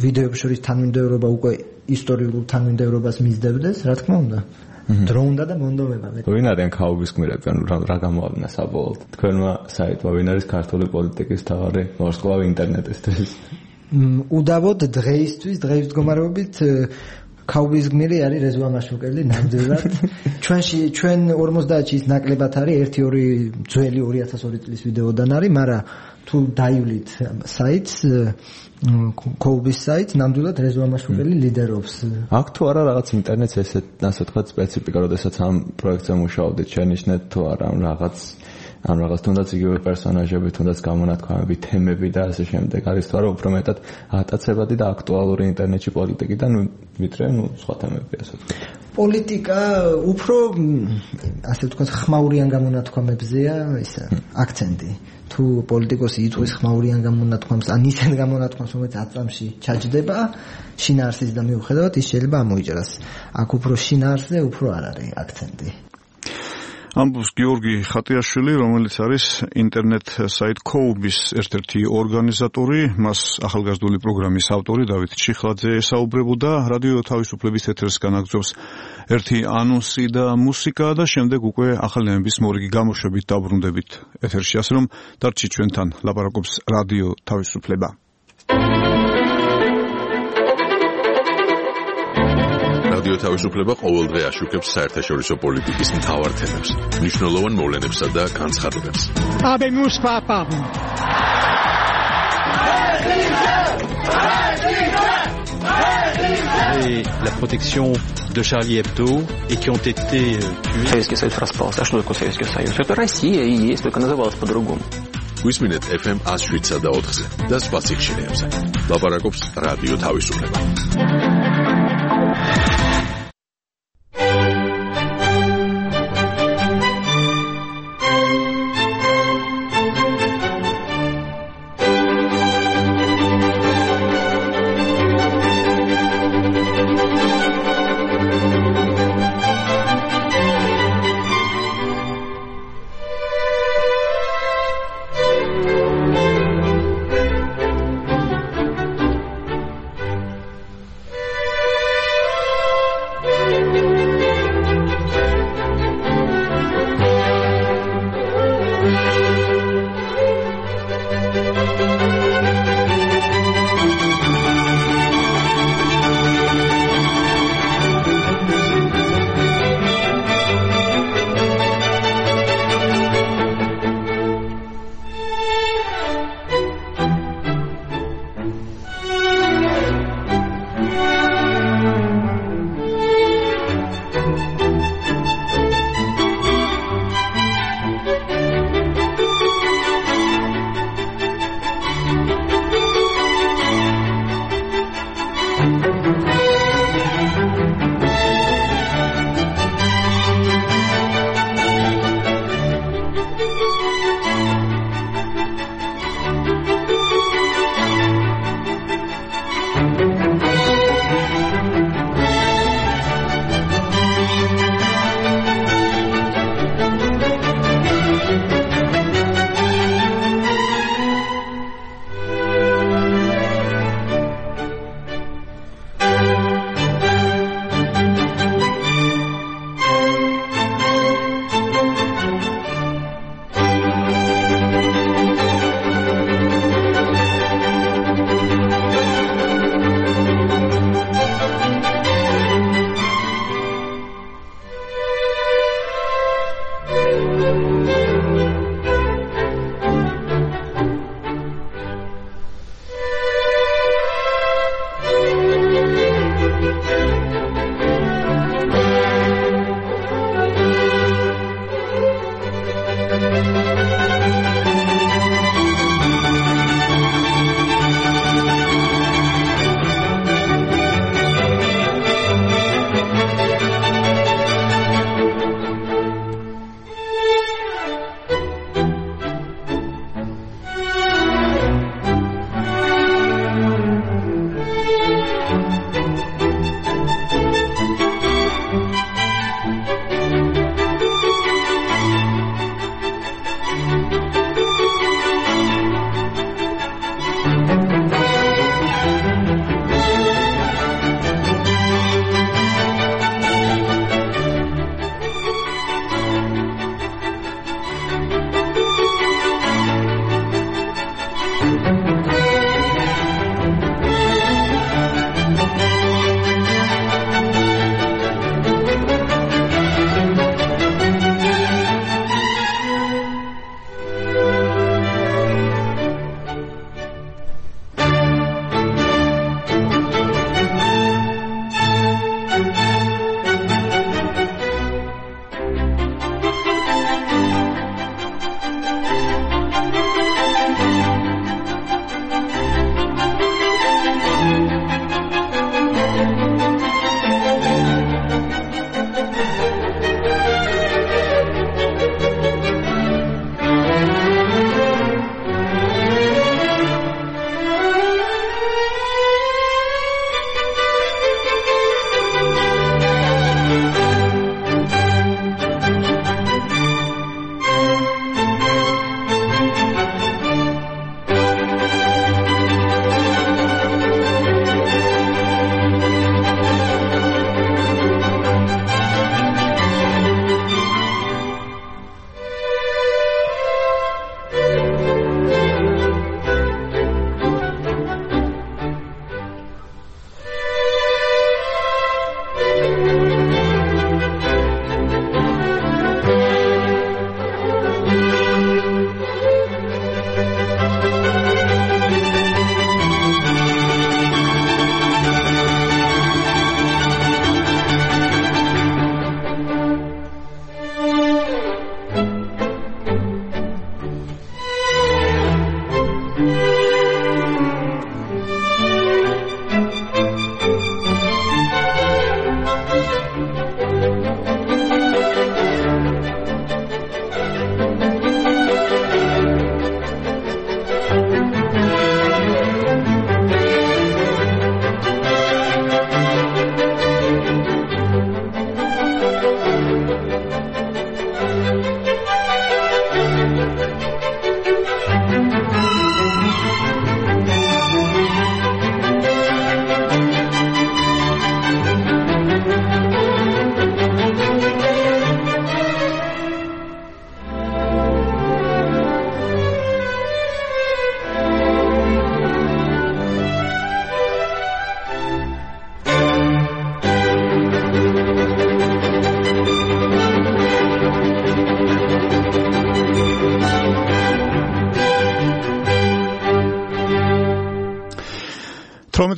ვიდეოების შორის თანმიმდევრობა უკვე ისტორიულ თანმიმდევრობას მისდევდეს, რა თქმა უნდა. დრო უნდა და მონდომება. ვინ არიან ქაობის გმირები, ანუ რა გამოავლინა საბოლოოდ? თქვენმა საიტმა ვინ არის ქართული პოლიტიკის მთავარი ვარსკვლავი ინტერნეტისთვის? უდავოდ დღეისთვის მდგომარეობით ქაობის გმირი არის რეზვა მაშუკელი ნამდვილად. ჩვენ 50-ში ის ნაკლებად არის, 1-2 ძველი 2002 წლის ვიდეოდან არის, მაგრამ თუ დაივლით საიტს, ქაობის საიტს, ნამდვილად რეზვა მაშუკელი ლიდერობს. აქ თუ არა რაღაც ინტერნეტს ესეთ, ასე ვთქვათ, სპეციფიკა, როდესაც ამ პროექტზე მუშაობდით, შენიშნეთ თუ არა ამ რაღაც თუნდაც იგივე პერსონაჟები, თუნდაც გამონათქვამები, თემები და ასე შემდეგ. არის თუ არა უფრო მეტად ატაცებადი და აქტუალური ინტერნეტში პოლიტიკიდან, ვიდრე სხვა თემები, ასე ვთქვათ. პოლიტიკა უფრო ასე ვთქვათ, ხმაურიან გამონათქვამებზეა ისა აქცენტი. თუ პოლიტიკოსი იწვის ხმაურიან გამონათქვამს, ან ისეთ გამონათქვამს, რომელიც 10 წამში ჩაჯდება, შინაარსის და მიუხედავად ის შეიძლება ამოიჭრას. აქ უფრო შინაარსზე უფრო არ არის აქცენტი. ამბობს გიორგი ხატიაშვილი, რომელიც არის ინტერნეტ საიტ ქოუბის ერთ-ერთი ორგანიზატორი, მას ახალგაზრდული პროგრამის ავტორი დავით ჩიხლაძე ესაუბრებოდა. რადიო თავისუფლების ეთერს განაგრძობს ერთი ანონსი და მუსიკა და შემდეგ უკვე ახალი ამბის მორიგი გამოშვებით დაბრუნდებით ეთერში, ასე რომ დარჩით ჩვენთან, ლაპარაკობს რადიო თავისუფლება. რადიო თავისუფლება ყოველდღე აშუქებს საერთაშორისო პოლიტიკის მთავარ თემებს, მნიშვნელოვან მოვლენებსა და განცხადებებს. Habemus papam. Et la protection de Charlie Hebdo et qui ont été tués. Советский Союз распался. А что такое Советский Союз? Это Россия и есть, только называлась по-другому. Висминет FM 107.4-ზე და სხვა სიხშირეებზე. ლაპარაკობს რადიო თავისუფლება.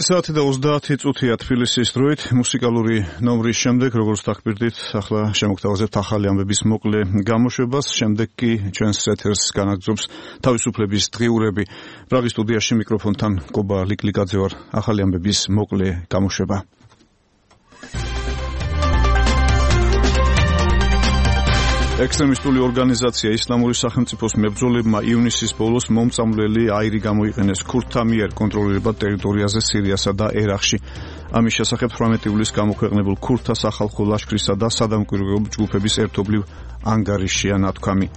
საათი და 30 წუთია თბილისის დროით მუსიკალური ნომრის შემდეგ როგორც დაგბირდით ახლა შემოგთავაზებთ ახალი ამბების მოკლე გამოშვებას შემდეგ კი ჩვენს ეთერს განაგრძობს თავისუფლების დღიურები პრაღის სტუდიაში მიკროფონთან კობა ლიკლიკაძე ვარ ახალი ამბების მოკლე გამოშვება ექსტრემისტული ორგანიზაცია ისლამური სახელმწიფოს მებრძოლებმა ივნისის ბოლოს მომწამვლელი აირი გამოიყენეს ქურთთა მიერ კონტროლირებად ტერიტორიაზე სირიასა და ერაყში. ამის შესახებ 18 ივლისს გამოქვეყნებულ ქურთთა სახალხო ლაშქრისა და სადამკვირვებლო ჯგუფების ერთობლივ ანგარიშია ნათქვამი.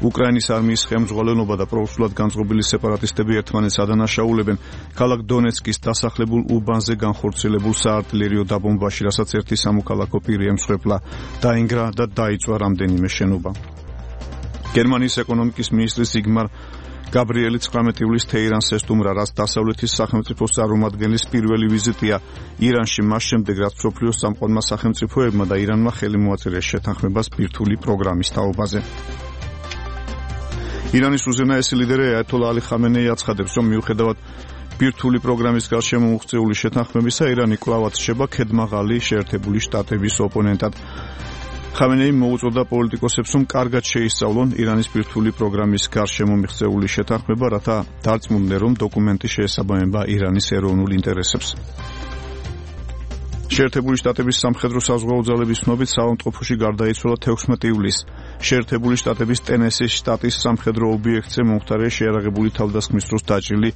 უკრაინის არმიის ხელმძღვანელობა და პროუსულად განწყობილი სეპარატისტები ერთმანეთს ადანაშაულებენ ქალაქ დონეცკის დასახლებულ უბანზე განხორციელებულ საარტილერიო დაბომბაში, რასაც ერთი სამოქალაქო პირი ემსხვერპლა, დაინგრა და დაიწვა რამდენიმე შენობა. გერმანიის ეკონომიკის მინისტრი ზიგმარ გაბრიელი 19 ივლისს თეირანს ესტუმრა, რაც დასავლეთის სახელმწიფოს წარმომადგენლის პირველი ვიზიტია ირანში, მას შემდეგ რაც მსოფლიოს სამყარომა სახელმწიფოებმა და ირანმა ხელი მოაწერეს შეთანხმებას ბირთვული პროგრამის თაობაზე. ირანის უზენაესი ლიდერი აიათოლა ალი ხამენეი აცხადებს, რომ მიუხედავად ბირთვული პროგრამის გარშემო მოღწეული შეთანხმებისა, ირანი კვლავაც რჩება ქედმაღალი შეერთებული შტატების ოპონენტად. ხამენეიმ მოუწოდა პოლიტიკოსებს, რომ კარგად შეისწავლონ ირანის ბირთვული პროგრამის გარშემო მიღწეული შეთანხმება, რათა დარწმუნდნენ, რომ დოკუმენტი შეესაბამება ირანის ეროვნულ ინტერესებს. შეერთებული შტატების სამხედრო საზღვაო ძალების ცნობით საავადმყოფოში გარდაიცვალა 16 ივლისს. შეერთებული შტატების ტენესის შტატის სამხედრო ობიექტზე მომხდარია შეიარაღებული თავდასხმის დროს დაჭრილი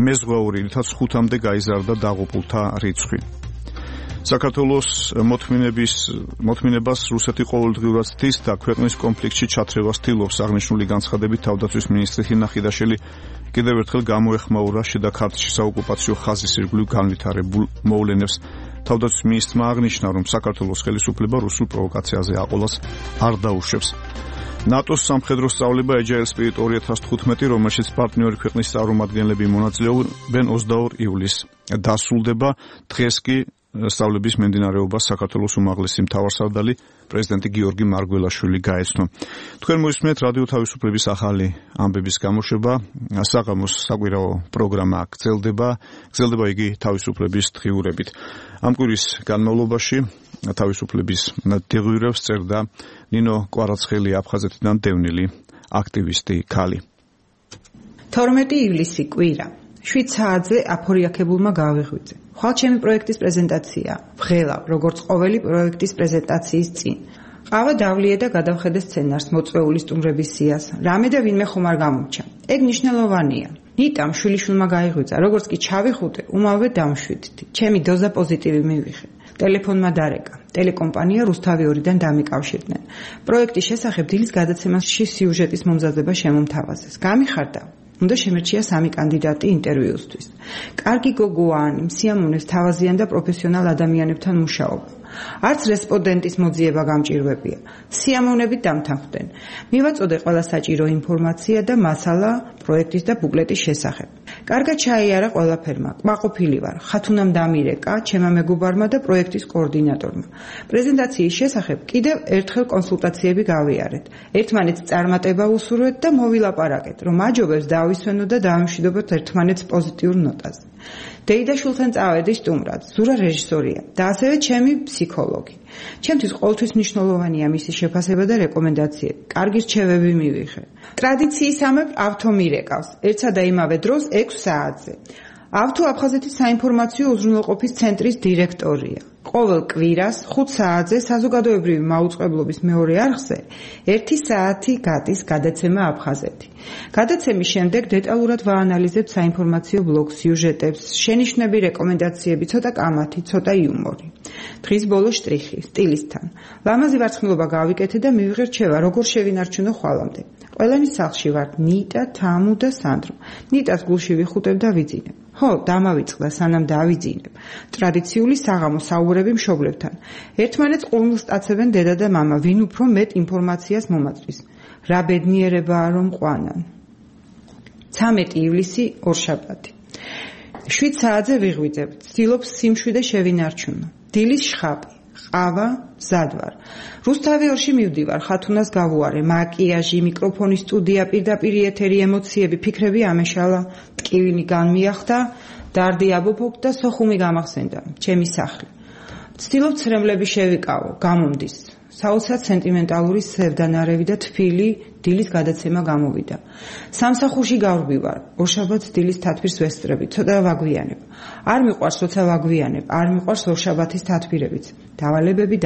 მეზღვაური, რითაც 5-მდე გაიზარდა დაღუპულთა რიცხვი. საქართველოს მოთმინებას რუსეთი ყოველდღიურად ცდის და ქვეყნის კონფლიქტში ჩათრევას ცდილობს. აღნიშნული განცხადებით თავდაცვის მინისტრი ჰინა ხიდაშელი კიდევ ერთხელ გამოეხმაურა შიდა ქართლში საოკუპაციო ხაზის ირგვლივ განვითარებულ მოვლენებს. თავდაცვის მინისტრმა აღნიშნა, რომ საქართველოს ხელისუფლება რუსულ პროვოკაციაზე აყოლას არ დაუშვებს. ნატოს სამხედრო სწავლება Agile Spirit 2015, რომელშიც პარტნიორი ქვეყნის წარმომადგენლები მონაწილეობენ 22 ივლისს დასრულდება. დღეს კი სწავლების მიმდინარეობას საქართველოს უმაღლესი მთავარსარდალი პრეზიდენტი გიორგი მარგველაშვილი გაეცნო. თქვენ მოისმენთ რადიო თავისუფლების ახალი ამბების გამოშვება. საღამოს საკვირაო პროგრამა გრძელდება იგი თავისუფლების დღიურებით. ამ კვირის განმავლობაში თავისუფლების დღიურებს წერდა ნინო კვარაცხელი აფხაზეთიდან დევნილი აქტივისტი ქალი. 12 ივლისი კვირა 7 საათზე აფორიაქებულმა გავიღვიძე. ხვალ ჩემი პროექტის პრეზენტაცია. ვღელავ, როგორც ყოველი პროექტის პრეზენტაციის წინ. ყავა დავლია და გადავხედე სცენარს მოწვეული სტუმრების სიას. რამე და ვინმე ხომ არ გამომჩა. ეგ მნიშვნელოვანია. ნიტამ შვილიშვილმა გაიღვიძა, როგორც კი ჩავიხუტე, უმალვე დამშვიდდი. ჩემი დოზა პოზიტივი მივიღე. ტელეფონმა დარეკა. ტელეკომპანია რუსთავი 2-დან დამიკავშირდნენ. პროექტის შესახებ დილის გადაცემაში სიუჟეტის მომზადება შემომთავაზეს. გამიხარდა. უნდა შემერჩია 3 კანდიდატი ინტერვიუსთვის. კარგი გოგოანი, სიამოვნებს თავაზიან და პროფესიონალ ადამიანებთან მუშაობა. არც რესპონდენტის მოძიება გამჭირვებია. სიამოვნებით დამთანხმდნენ. მივაწოდე ყველა საჭირო ინფორმაცია და მასალა პროექტის და ბუკლეტის შესახებ. კარგად ჩაიარა ყველაფერმა. კმაყოფილი ვარ. ხათუნამ დამირეკა, ჩემმა მეგობარმა და პროექტის კოორდინატორმა. პრეზენტაციის შესახებ კიდევ ერთხელ კონსულტაციები გავიარეთ. ერთმანეთს წარმატება უსურვეთ და მოვილაპარაკეთ, რომ აჯობებს დავისვენო და დავიმშვიდობოთ ერთმანეთს პოზიტიურ ნოტაზე. დეიდაშვილთან წავედი სტუმრად, ზურა რეჟისორია და ასევე ჩემი ფსიქოლოგი. ჩემთვის ყოველთვის მნიშვნელოვანია მისი შეფასება და რეკომენდაციები. კარგი რჩევები მივიღე. ტრადიციისამებრ ავთო მირეკავს, ერთსა და იმავე დროს 6 საათზე. ავთო აფხაზეთის საინფორმაციო უზრუნველყოფის ცენტრის დირექტორია. ყოველ კვირას 5 საათზე საზოგადოებრივი მაუწყებლობის მეორე არხზე 1 საათი გადის გადაცემა აფხაზეთი. გადაცემის შემდეგ დეტალურად ვაანალიზებთ საინფორმაციო ბლოგ სიუჟეტებს, შენიშვნები, რეკომენდაციები, ცოტა კამათი, ცოტა იუმორი. დღის ბოლო შტრიხი სტილისთან. ლამაზი ვარცხნილობა გავიკეთე და მივიღე რჩევა, როგორ შევინარჩუნო ხვალამდე. ყველანი სახლში ვართ, ნიტა, თამუ და სანდრო. ნიტას გულში ვიხუტებ და ვიძინებ. ხო, დამავიწყდა სანამ დავიძინებ. ტრადიციული საღამო საუბრები მშობლებთან. ერთმანეთს ყურმილს სტაცებენ დედა და მამა, ვინ უფრო მეტ ინფორმაციას მომაწვის. რა ბედნიერებაა რომ ყვანან. 13 ივლისი ორშაბათი. 7 საათზე ვიღვიძებ. ვცდილობ სიმშვიდე შევინარჩუნო. დილის შხაპი. ყავა, მზად ვარ. რუსთავი 2-ში მივდივარ, ხათუნას გავუარე, მაკიაჟი, მიკროფონის სტუდია, პირდაპირ ეთერი, ემოციები, ფიქრები ამეშალა, ტკივილი განმიახდა, დარდი აბოფოქდა, სოხუმი გამახსენდა, ჩემი სახლი. ვცდილობ ცრემლები შევიკავო, გამომდის. საოცრად სენტიმენტალური სევდანარევი და თბილი დილის გადაცემა გამოვიდა. სამსახურში გავრბივარ, ორშაბათს დილის თათბირს ვესწრები, ცოტა ვაგვიანებ. არ მიყვარს როცა ვაგვიანებ, არ მიყვარს ორშაბათის თათბირებიც. დავალებები.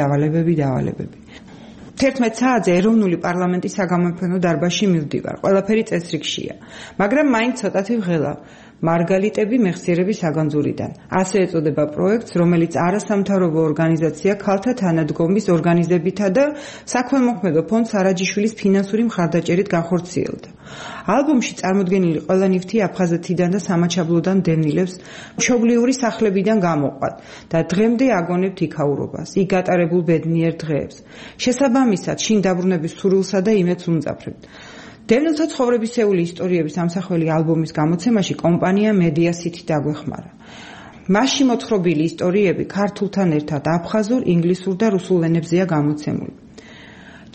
11 საათზე ეროვნული პარლამენტის საგამოფენო დარბაზში მივდივარ. ყველაფერი წესრიგშია, მაგრამ მაინც ცოტათი ვღელავ. მარგალიტები მეხსიერების საგანძურიდან. ასე ეწოდება პროექტს, რომელიც არასამთავრობო ორგანიზაცია ქალთა თანადგომის ორგანიზებითა და საქმემოქმედო ფონდ სარაჯიშვილის ფინანსური მხარდაჭერით განხორციელდა. ალბომში წარმოდგენილი ყველა ნივთი აფხაზეთიდან და სამაჩაბლოდან დევნილებს მშობლიური სახლებიდან გამოყვათ და დღემდე აგონებთ იქაურობას, იქ გატარებულ ბედნიერ დღეებს. შესაბამისად, შინ დაბრუნების სურვილსა და იმედს უმძაფრებთ. დევნილთა ცხოვრებისეული ისტორიების ამსახველი ალბომის გამოცემაში კომპანია Media City დაგვეხმარა. მასში მოთხრობილი ისტორიები ქართულთან ერთად აფხაზურ, ინგლისურ და რუსულ ენებზეა გამოცემული.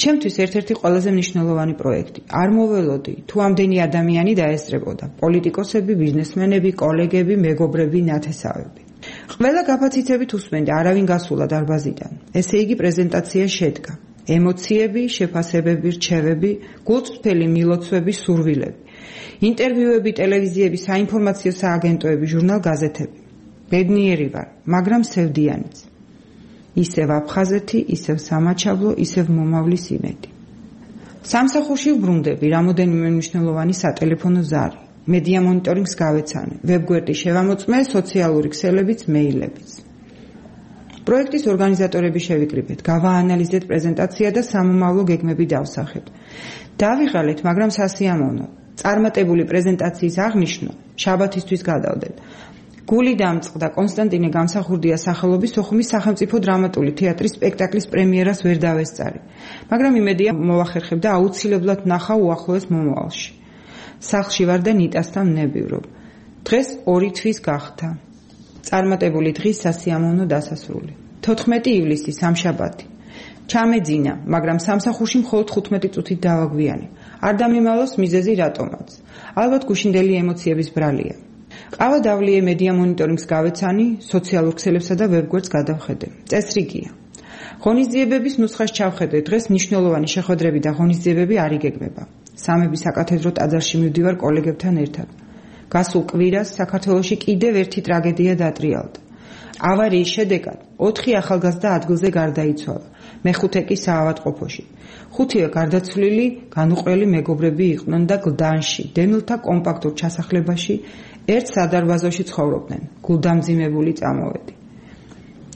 ჩემთვის ერთ-ერთი ყველაზე მნიშვნელოვანი პროექტი. არ მოველოდი, თუ ამდენი ადამიანი დაესწრებოდა: პოლიტიკოსები, ბიზნესმენები, კოლეგები, მეგობრები, ნათესავები. ყველა გაფაციცებით უსმენდა, არავინ გასულა დარბაზიდან. ესე იგი პრეზენტაცია შედგა. ემოციები, შეფასებები, რჩევები, გულწრფელი მილოცვები, სურვილები. ინტერვიუები, ტელევიზიები, საინფორმაციო სააგენტოები, ჟურნალ-გაზეთები. ბედნიერი ვარ, მაგრამ სევდიანიც. ისევ აფხაზეთი, ისევ სამაჩაბლო, ისევ მომავლის იმედი. სამსახურში ვბრუნდები, რამოდენიმე მნიშვნელოვანი სატელეფონო ზარი. მედია მონიტორინგს გავეცანე, ვებგვერდი შევამოწმე, სოციალური ქსელებიც, მეილებიც. პროექტის ორგანიზატორები შევიკრიბეთ, გავაანალიზეთ პრეზენტაცია და სამომავლო გეგმები დავსახეთ. დავიღალეთ, მაგრამ სასიამოვნო. წარმატებული პრეზენტაციის აღნიშვნა შაბათისთვის გადავდეთ. გული დამწყდა კონსტანტინე გამსახურდიას სახელობის სოხუმის სახელმწიფო დრამატული თეატრის სპექტაკლის პრემიერას ვერ დავესწარი, მაგრამ იმედია მოვახერხებდა აუცილებლად ნახა უახლოეს მომავალში. სახლში ვარ და ნიტასთან ვნებივრობ. დღეს 2 თვის გახდა. წარმატებული დღის სასიამოვნო დასასრული. 14 ივლისი სამშაბათი. ჩამეძინა, მაგრამ სამსახურში მხოლოდ 15 წუთით დავაგვიანე. არ დამიმალოს მიზეზი რატომაც. ალბათ გუშინდელი ემოციების ბრალია. ყავა დავლიე მედია მონიტორინგს გავეცანი, სოციალურ ქსელებსა და ვებგვერდს გადავხედე. წესრიგია. ღონისძიებების ნუსხას ჩავხედე, დღეს მნიშვნელოვანი შეხვედრები და ღონისძიებები არ იგეგმება. სამების საკათედრო ტაძარში მივდივარ კოლეგებთან ერთად. გასულ კვირას საქართველოში კიდევ ერთი ტრაგედია დატრიალდა. ავარიის შედეგად 4 ახალგაზრდა ადგილზე გარდაიცვალა, მეხუთე კი საავადმყოფოში. 5-ე გარდაცვლილი განუყრელი მეგობრები იყვნენ და გლდანში, დემილთა კომპაქტურ ჩასახლებაში ერთ სადარბაზოში ცხოვრობდნენ. გულდამძიმებული წამოვედი.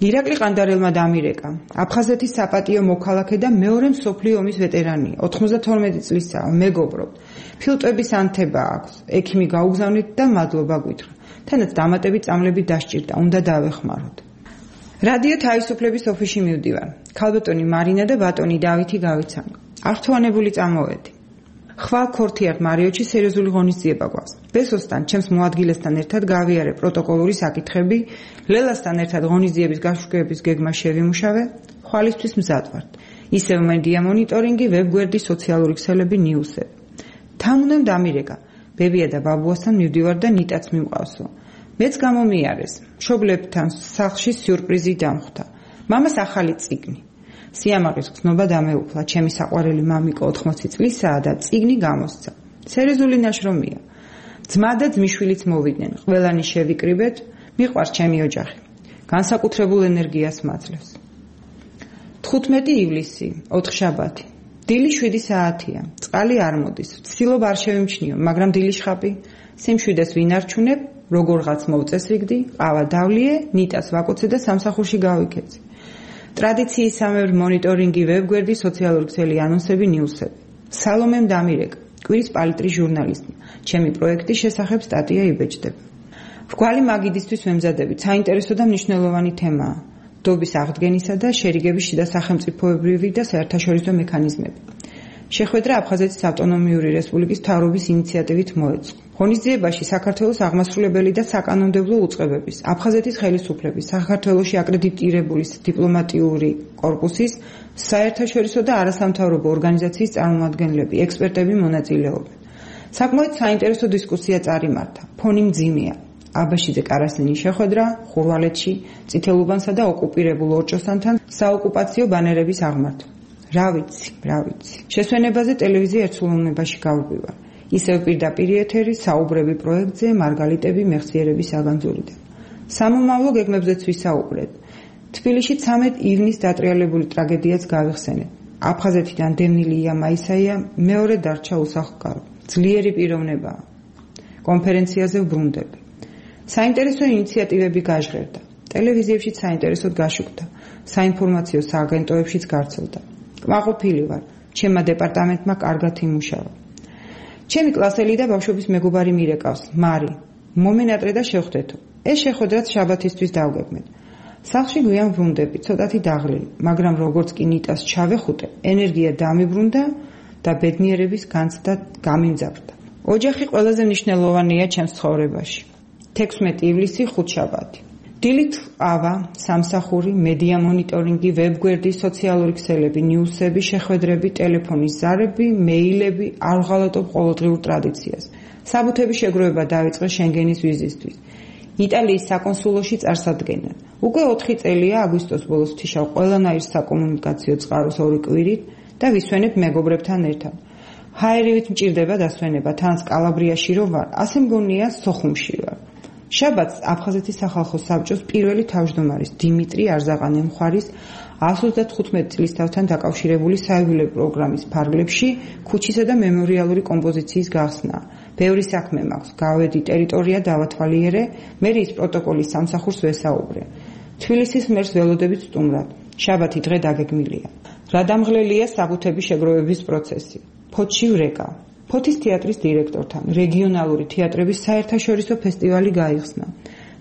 ირაკლი ყანდარელმა დამირეკა. აფხაზეთის საპატიო მოქალაქე და მეორე მსოფლიო ომის ვეტერანია. 92 წლისაა, მეგობრობთ. ფილტვების ანთება აქვს. ექიმი გაუგზავნით და მადლობა გვითხრა. თანაც დამატები წამლები დასჭირდა, უნდა დავეხმაროთ. რადიო თავისუფლების ოფისში მივდივარ. ქალბატონი მარინა და ბატონი დავითი გავიცანო. აღთვანებული წამოვედი. ხვალ ქორთიარ მარიოჩი სერიოზული ღონისძიება გვაქვს. ბესოსთან, ჩემს მოადგილესთან ერთად გავიარე პროტოკოლური საკითხები, ლელასთან ერთად ღონისძიების გაშუქების გეგმა შევიმუშავე, ხვალისთვის მზად ვართ. ისევ მედია მონიტორინგი, ვებგვერდი, სოციალური ქსელები, ნიუსები. თან უნდა დამირეკა. ბებია და ბაბუასთან მივდივარ და ნიტაც მიმყავსო. მეც გამომიარეს. მშობლებთან სახლში სიურპრიზი დამხვდა. მამას ახალი წიგნი. სიამაყის გზნობა დამეუფლა, ჩემი საყვარელი მამიკო 80 წლისაა და წიგნი გამოსცა. სერიოზული ნაშრომია. ძმა და ძმიშვილიც მოვიდნენ, ყველანი შევიკრიბეთ, მიყვარს ჩემი ოჯახი. განსაკუთრებულ ენერგიას მაძლევს. 15 ივლისი, 4 შაბათი. დილი 7 საათია. წყალი არ მოდის. ვცდილობ არ შევიმჩნიო, მაგრამ დილის ხაპი. სიმშვიდეს ვინ არჩუნებ, როგორღაც მოვწესრიგდი, ყავა დავლიე, ნიტას ვაკოცე და სამსახურში გავიქეცი. ტრადიციისამებრ მონიტორინგი, ვებგვერდი, სოციალური ქსელი, ანონსები, ნიუსები. სალომემ დამირეკა, კვირის პალიტრის ჟურნალისტი. ჩემი პროექტის შესახებ სტატია იბეჭდება. რგვალი მაგიდისთვის ვემზადებით, საინტერესო და მნიშვნელოვანი თემაა. დობის აღდგენისა და შერიგების შიდა სახელმწიფოებრივი და საერთაშორისო მექანიზმები. შეხვედრა აფხაზეთის ავტონომიური რესპუბლიკის მთავრობის ინიციატივით მოეწყო. ღონისძიებაში საქართველოს აღმასრულებელი და საკანონმდებლო უწყებების, აფხაზეთის ხელისუფლების, საქართველოში აკრედიტირებული დიპლომატიური კორპუსის, საერთაშორისო და არასამთავრობო ორგანიზაციის წარმომადგენლები, ექსპერტები მონაწილეობენ. საკმაოდ საინტერესო დისკუსია წარიმართა. ფონი მძიმეა. აბაშიძე კარასინის შეხვედრა, ხურვალეთში, წითელუბანსა და ოკუპირებულ ორჭოსანთან საოკუპაციო ბანერების აღმართვა. რა ვიცი. შესვენებაზე ტელევიზია ერთსულოვნებაში გავუპირვარ. ისევ პირდაპირ ეთერი, საუბრები პროექტზე, მარგალიტები მეხსიერების საგანძურიდან. სამომავლო გეგმებზეც ვისაუბრეთ. თბილისში 13 ივნის დატრიალებული ტრაგედიაც გავიხსენეთ. აფხაზეთიდან დევნილი მაისაია მეორე დარჩა უსახლკარო. ძლიერი პიროვნებაა. კონფერენციაზე ვბრუნდები. საინტერესო ინიციატივები გაჟღერდა. ტელევიზიებშიც საინტერესოდ გაშუქდა. საინფორმაციო სააგენტოებშიც გარცელდა. კმაყოფილი ვარ. ჩემმა დეპარტამენტმა კარგად იმუშავა. ჩემი კლასელი და ბავშვობის მეგობარი მირეკავს, მარი. მომენატრე და შევხვდეთო. ეს შეხვედრაც შაბათისთვის დავგეგმეთ. სახლში გვიან ვრუნდები, ცოტათი დაღლილი, მაგრამ როგორც კი ნიტას ჩავეხუტე, ენერგია დამიბრუნდა და ბედნიერების განცდა გამიმძაფრდა. ოჯახი ყველაზე მნიშვნელოვანია ჩემს ცხოვრებაში. 16 ივლისი, 5 შაბათი. დილით ყავა, სამსახური, მედია მონიტორინგი, ვებგვერდი, სოციალური ქსელები, ნიუსები, შეხვედრები, ტელეფონის ზარები, მეილები, არ ვღალატობ ყოველდღიურ ტრადიციას. საბუთების შეგროვება დაიწყე შენგენის ვიზისთვის. იტალიის საკონსულოში წარსადგენად. უკვე 4 წელია აგვისტოს ბოლოს ვთიშავ ყველანაირ საკომუნიკაციო წყაროს 2 კვირით და ვისვენებ მეგობრებთან ერთად. ჰაერივით მჭირდება დასვენება, თანაც კალაბრიაში რო ვარ, ასე მგონია სოხუმში ვარ. შაბათს აფხაზეთის სახალხო საბჭოს პირველი თავმჯდომარის დიმიტრი არზაყანე-მხარის 135 წლისთავთან დაკავშირებული საიუბილეო პროგრამის ფარგლებში ქუჩისა და მემორიალური კომპოზიციის გახსნა. ბევრი საქმე მაქვს, გავედი, ტერიტორია დავათვალიერე, მე ის პროტოკოლის სამსახურს ვესაუბრე. თბილისის მერს ველოდებით სტუმრად. შაბათი დღე დაგეგმილია. რა დამღლელია საბუთების შეგროვების პროცესი. ფოთში ვრეკა. ფოთის თეატრის დირექტორთან რეგიონალური თეატრების საერთაშორისო ფესტივალი გაიხსნა.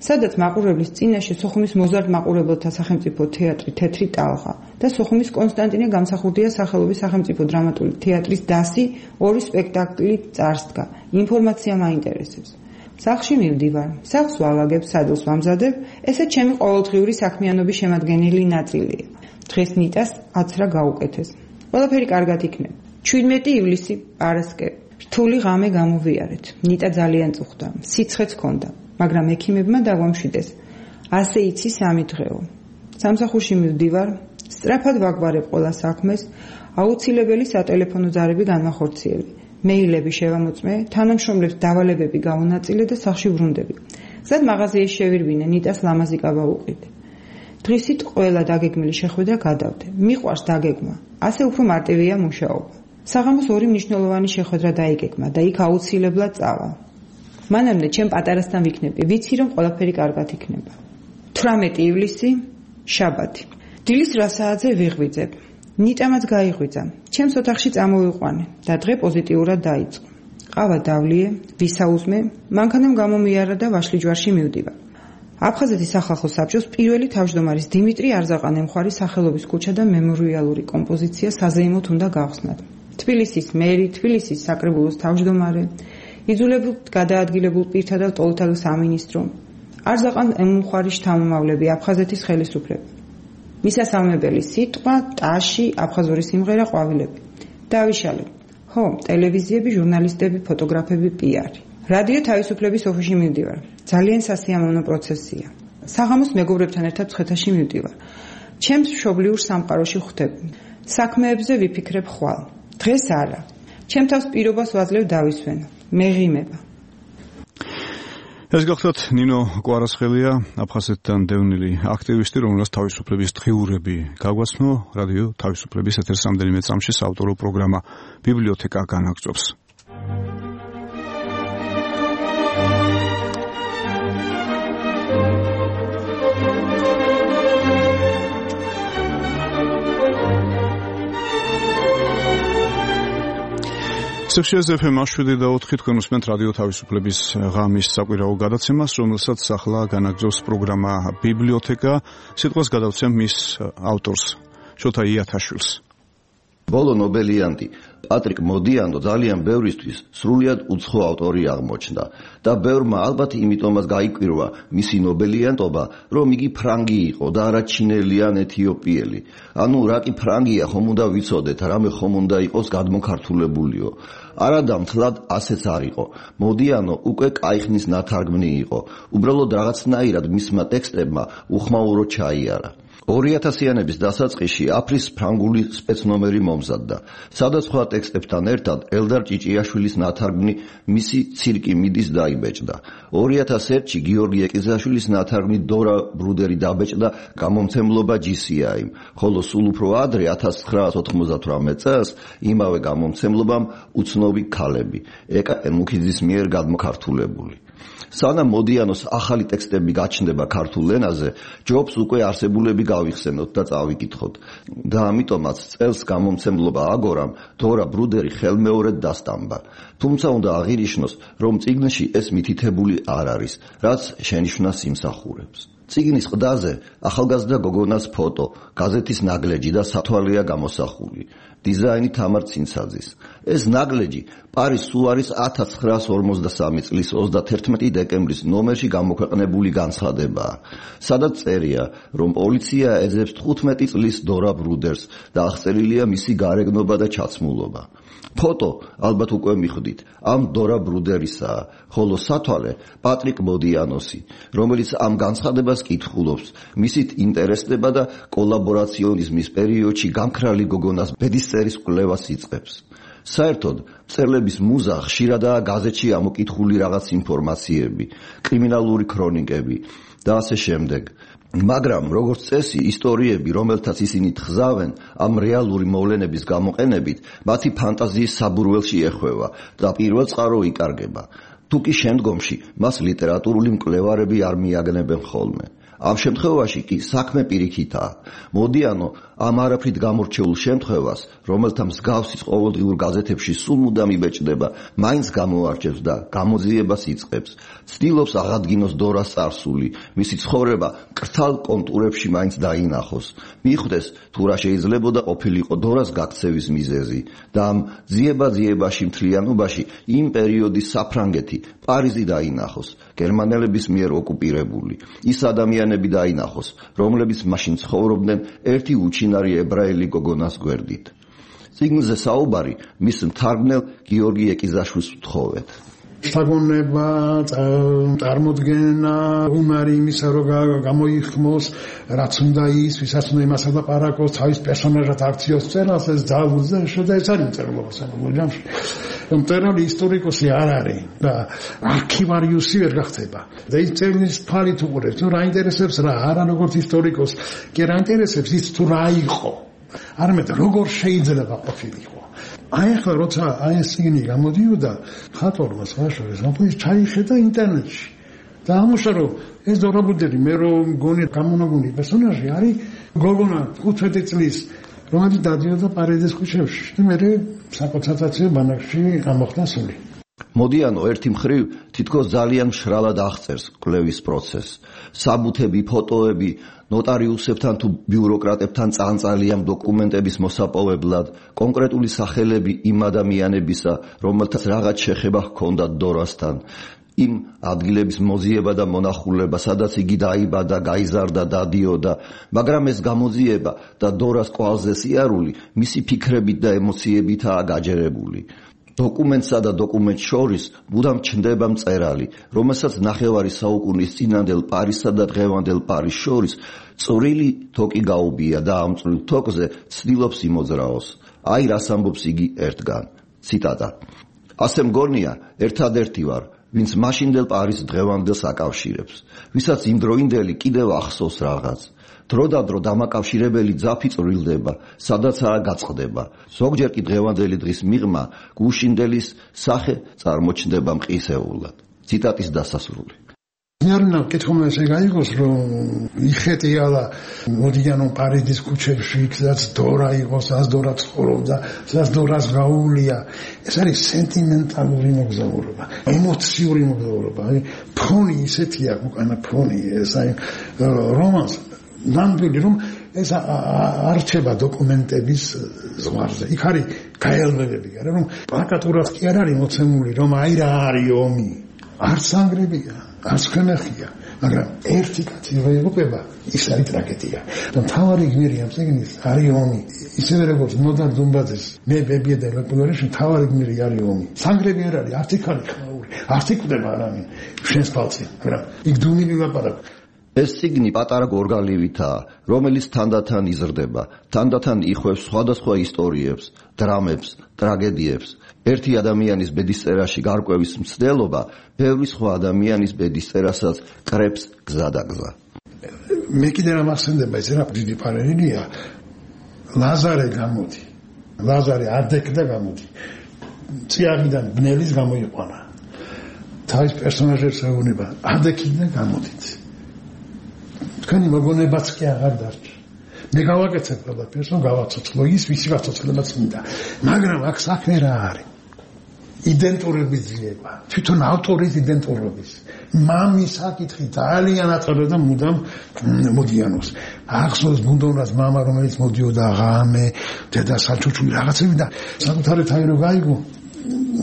სადაც მაყურებლის წინაშე სოხუმის მოზარდ მაყურებელთა სახელმწიფო თეატრი თეთრი ტალღა და სოხუმის კონსტანტინე გამსახურდია სახელობის სახელმწიფო დრამატული თეატრის დასი ორი სპექტაკლი წარსდგა. ინფორმაცია მაინტერესებს. სახლში მივდივარ, სახლს ვალაგებ, სადელს ვამზადებ, ესე ჩემი ყოველდღიური საქმიანობის შემადგენელი ნაწილია. დღეს ნიტას აცრა გაუკეთეს. ყველაფერი კარგად იქნება. 17 ივლისი პარასკევი. რთული ღამე გამოვიარეთ. ნიტა ძალიან წუხდა, სიცხეც ჰქონდა, მაგრამ ექიმებმა დაგვამშვიდეს. ასე იცი 3 დღეო. სამსახურში მივდივარ, სწრაფად ვაგვარებ ყველა საქმეს, აუცილებელი სატელეფონო ზარები განვახორციელე. მეილები შევამოწმე, თანამშრომლებს დავალებები გავუნაწილე და სახლში ვრუნდები. გზად მაღაზიაში შევირბინე, ნიტას ლამაზი კაბა უყიდე. დღისით ყველა დაგეგმილი შეხვედრა გადავდე. მიყვარს დაგეგმა, ასე უფრო მარტივია მუშაობა. საღამოს 2 მნიშვნელოვანი შეხვედრა დაიგეგმა და იქ აუცილებლად წავა. მანამდე ჩემ პატარასთან ვიქნები, ვიცი რომ ყველაფერი კარგად იქნება. 18 ივლისი, შაბათი. დილის რა საათზე ვიღვიძებ. ნიტამაც გაიღვიძა. ჩემს ოთახში წამოვიყვანე და დღე პოზიტიურად დაიწყო. ყავა დავლიე, ვისაუზმე, მანქანამ გამომიარა და ვაშლიჯვარში მივდივარ. აფხაზეთის სახალხო საბჭოს პირველი თავმჯდომარის დიმიტრი არზაყანემხარის სახელობის ქუჩა და მემორიალური კომპოზიცია საზეიმოდ უნდა გავხსნათ. თბილისის მერი, თბილისის საკრებულოს თავმჯდომარე, იძულებულ გადაადგილებულ პირთა და ტოლთა სამინისტრო, არზაყანემხარის შთამომავლები, აფხაზეთის ხელისუფლება. მისასალმებელი სიტყვა, ტაში, აფხაზური სიმღერა, ყვავილები. დავიშალე. ხო, ტელევიზიები, ჟურნალისტები, ფოტოგრაფები, პიარი. რადიო თავისუფლების ოფისში მივდივარ. ძალიან სასიამოვნო პროცესია. საღამოს მეგობრებთან ერთად ცხეთაში მივდივარ. ჩემს მშობლიურ სამყაროში ხვდები. საქმეებზე ვიფიქრებ ხვალ. დღეს არა. ჩემ თავს პირობას ვაძლევ დავისვენო. მეღიმება. ეს გახლავთ ნინო კვარასხელია, აფხაზეთთან დევნილი აქტივისტი, რომელსაც თავისუფლების დღიურები გაგვაცნო რადიო თავისუფლების ეთერს რამდენიმე წამში საავტორო პროგრამა ბიბლიოთეკა განაგრძობს. სექციაზე FM 7 თქვენ უსმენთ რადიო თავისუფლების ღამის საკვირაო გადაცემას, რომელსაც ახლა განაგრძობს პროგრამა ბიბლიოთეკა. სიტყვას გადავცემ მის ავტორს, შოთა იათაშვილს. ბოლო ნობელიანტი პატრიკ მოდიანო ძალიან ბევრისთვის სრულიად უცხო ავტორი აღმოჩნდა და ბევრმა ალბათ იმიტომაც გაიკვირვა მისი ნობელიანტობა, რომ იგი ფრანგი იყო და არა ჩინელი ან ეთიოპიელი. ანუ რა კი ფრანგია, ხომ უნდა ვიცოდეთ, რამე ხომ უნდა იყოს გადმოქართულებულიო. არადა მთლად ასეც არ იყო. მოდიანო უკვე კაიხნის ნათარგმნი იყო. უბრალოდ რაღაცნაირად მისმა ტექსტებმა უხმაურო ჩაიარა. 2000-იანების დასაწყისში აფრის ფრანგული სპეცნომერი მომზადდა. სხვადასხვა ტექსტებთან ერთად ელდარ ჭიჭიაშვილის ნათარგმნი მისი ცირკი მიდის დაიბეჭდა. 2001-ში გიორგი ეკიზაშვილის ნათარგმნი დორა ბრუდერი დაბეჭდა გამომცემლობა GCI-მ, ხოლო სულ უფრო ადრე 1998 წელს იმავე გამომცემლობამ უცნობი ქალები, ეკა ემუქიძის მიერ გადმოქართულებული. სანამ მოდიანოს ახალი ტექსტები გაჩნდება ქართულ ენაზე, ჯობს უკვე არსებულები გავიხსენოთ და წავიკითხოთ. და ამიტომაც წელს გამომცემლობა აგორამ დორა ბრუდერი ხელმეორედ დასტამბა. თუმცა უნდა აღინიშნოს, რომ წიგნში ეს მითითებული არ არის, რაც შენიშვნას იმსახურებს. წიგნის ყდაზე ახალგაზრდა გოგონას ფოტო, გაზეთის ნაგლეჯი და სათვალეა გამოსახული. დიზაინი თამარ ცინცაძის. ეს ნაგლეჯი პარის სუარის 1953 წლის 31 დეკემბრის ნომერში გამოქვეყნებული განცხადებაა, სადაც წერია, რომ პოლიცია ეძებს 15 წლის დორა ბრუდერს და აღწერილია მისი გარეგნობა და ჩაცმულობა. ფოტო, ალბათ უკვე მიხვდით, ამ დორა ბრუდერისაა, ხოლო სათვალე პატრიკ მოდიანოსი, რომელიც ამ განცხადებას კითხულობს, მისით ინტერესდება და კოლაბორაციონიზმის პერიოდში გამქრალი გოგონას ბედისწერის კვლევას იწყებს. საერთოდ, მწერლების მუზა ხშირადაა გაზეთში ამოკითხული რაღაც ინფორმაციები, კრიმინალური ქრონიკები და ასე შემდეგ. მაგრამ როგორც წესი, ისტორიები, რომელთაც ისინი თხზავენ, ამ რეალური მოვლენების გამოყენებით, მათი ფანტაზიის საბურველში ეხვევა და პირველწყარო იკარგება. თუ კი შემდგომში მას ლიტერატურული მკვლევარები არ მიაგნებენ ხოლმე. ამ შემთხვევაში კი საქმე პირიქითაა. მოდიანო ამ არაფრით გამორჩეულ შემთხვევას, რომელთა მსგავსის ყოველდღიურ გაზეთებში სულ მუდამ იბეჭდება, მაინც გამოარჩევს და გამოძიებას იწყებს. ცდილობს აღადგინოს დორას წარსული, მისი ცხოვრება კრთალ კონტურებში მაინც დაინახოს. მიხვდეს თუ რა შეიძლებოდა ყოფილიყო დორას გაქცევის მიზეზი და ამ ძიება-ძიებაში მთლიანობაში იმ პერიოდის საფრანგეთი, პარიზი დაინახოს, გერმანელების მიერ ოკუპირებული. ის ადამიანები დაინახოს, რომლებიც მაშინ ცხოვრობდნენ ერთი უჩინარი ებრაელი გოგონას გვერდით. წიგნზე საუბარი მის მთარგმნელ გიორგი ეკიზაშვილს ვთხოვეთ. შთაგონება, წარმოდგენა, უნარი იმისა, რომ გამოიხმოს, რაც უნდა ის, ვისაც უნდა იმას ელაპარაკოს, თავის პერსონაჟად აქციოს წერას, ეს ძალუძე, და ეს არის მწერლობა საბოლოო ჯამში. მწერალი ისტორიკოსი არ არის და არქივარიუსი ვერ გახდება. და ის წერნის ფარით უყურებს, თუ რა ინტერესებს რა, არა როგორც ისტორიკოს, კი რა ინტერესებს ის თუ რა იყო. არამედ როგორ შეიძლება ყოფილიყო. აი ახლა როცა აი ეს წიგნი გამოდიოდა ხატორმა სხვაშორის ამბობს ჩაიხედა ინტერნეტში და ამოშა რომ ეს დორაბუდელი მე რომ გონი გამონაგუნი პერსონაჟი არის გოგონა 15 წლის რომელიც დადიოდა პარიზის ქუჩებში და მე საკონცენტრაციო ბანაკში ამოხდა სული. მოდიანო ერთი მხრივ თითქოს ძალიან მშრალად აღწერს კვლევის პროცესს. საბუთები, ფოტოები, ნოტარიუსებთან თუ ბიუროკრატებთან წანწალიან დოკუმენტების მოსაპოვებლად, კონკრეტული სახელები იმ ადამიანებისა, რომელთაც რაღაც შეხება ჰქონდათ დორასთან, იმ ადგილების მოძიება და მონახულება, სადაც იგი დაიბადა, გაიზარდა, დადიოდა, მაგრამ ეს გამოძიება და დორას კვალზე სიარული მისი ფიქრებით და ემოციებითაა გაჯერებული. დოკუმენტსა და დოკუმენტს შორის მუდამ ჩნდება მწერალი, რომელსაც ნახევარი საუკუნის წინანდელ პარიზსა და დღევანდელ პარიზს შორის წვრილი თოკი გაუბია და ამ წვრილ თოკზე ცდილობს იმოძრაოს. აი რას ამბობს იგი ერთგან. ციტატა. ასე მგონია, ერთადერთი ვარ, ვინც მაშინდელ პარიზს დღევანდელს აკავშირებს, ვისაც იმდროინდელი კიდევ ახსოვს რაღაც. დროდადრო დამაკავშირებელი ძაფი წვრილდება, სადაცაა გაწყდება. ზოგჯერ კი დღევანდელი დღის მიღმა გუშინდელის სახე წარმოჩნდება მყისეულად. ციტატის დასასრული. ნერნა კითხულმა ესე გაიგოს რომ იხეტია და მოდიანო პარიზის ქუჩებში სადაც დორა იყო, სადაც დორა ცხოვრობდა, სადაც დორას გაუვლია. ეს არის სენტიმენტალური მოგზაურობა, ემოციური მოგზაურობა. ფონი ისეთია, უკანა ფონი, ეს აი რომანს ნამდვილი რომ ეს არჩება დოკუმენტების ზღვარზე. იქ არის გაელვებები, არა რომ პლაკატურად კი არ არის მოცემული რომ აი რა არის ომი. არც ანგრებია, არც ხმეხია, მაგრამ ერთი კაცი ვეღუპება, ის არის ტრაგედია. და მთავარი გმირი ამ წიგნის არის ომი. ისევე როგორც ნოდარ დუმბაძეს მე ბებია და ლეპულერში მთავარი გმირი არის ომი. სანგრები არ არის, არც იქ არის ხმაური, არც იქ კვდება არავინ შენს ფალცი, მაგრამ იქ დუმილი ლაპარაკ. ეს წიგნი პატარა გორგალივითაა, რომელიც თანდათან იზრდება, თანდათან იხვევს სხვადასხვა ისტორიებს, დრამებს, ტრაგედიებს. ერთი ადამიანის ბედისწერაში გარკვევის მცდელობა, ბევრი სხვა ადამიანის ბედისწერასაც კრებს გზადაგზა. მე კიდე რა მახსენდება, ეს რა დიდი პარალელია. ლაზარე გამოდი. ლაზარე არდეკდა გამოდი. წიაღიდან ბნელის გამოიყვანა. თავის პერსონაჟებს ეუბნება, არდეკიდან გამოდით. თქვენი მოგონებაც კი აღარ დარჩა. მე გავაკეთებ ყველაფერს, რომ გავაცოცხლო ის, ვისი გაცოცხლება წმინდა. მაგრამ აქ საქმე რა არის? იდენტურობის ძიება. თვითონ ავტორის იდენტურობის. მამის საკითხი ძალიან აწევდა მუდამ მოდიანოს. ახსოვს ბუნდონას მამა, რომელიც მოდიოდა ღამე, დედა საჩუჩული რაღაცები და საკუთარი თავი რო გაიგო,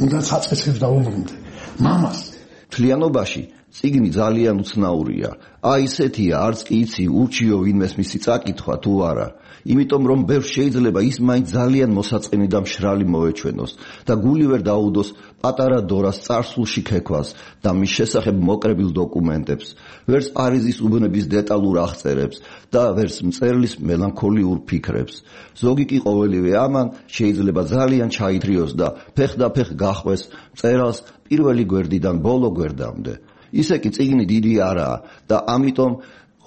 უნდა საწესებს დაუბრუნდე. მამას მთლიანობაში წიგნი ძალიან უცნაურია. აი ესეთია, არც კი იცი ურჩიო ვინმეს მისი წაკითხვა თუ არა. იმიტომ რომ ბევრს შეიძლება ის მაინც ძალიან მოსაწყენი და მშრალი მოეჩვენოს და გული ვერ დაუდოს პატარა დორას წარსულში ქექვას და მის შესახებ მოკრებილ დოკუმენტებს, ვერც პარიზის უბნების დეტალურ აღწერებს და ვერც მწერლის მელანქოლიურ ფიქრებს. ზოგი კი ყოველივე ამან შეიძლება ძალიან ჩაითრიოს და ფეხ გახვეს მწერალს პირველი გვერდიდან ბოლო გვერდამდე. ისე კი წიგნი დიდი არაა და ამიტომ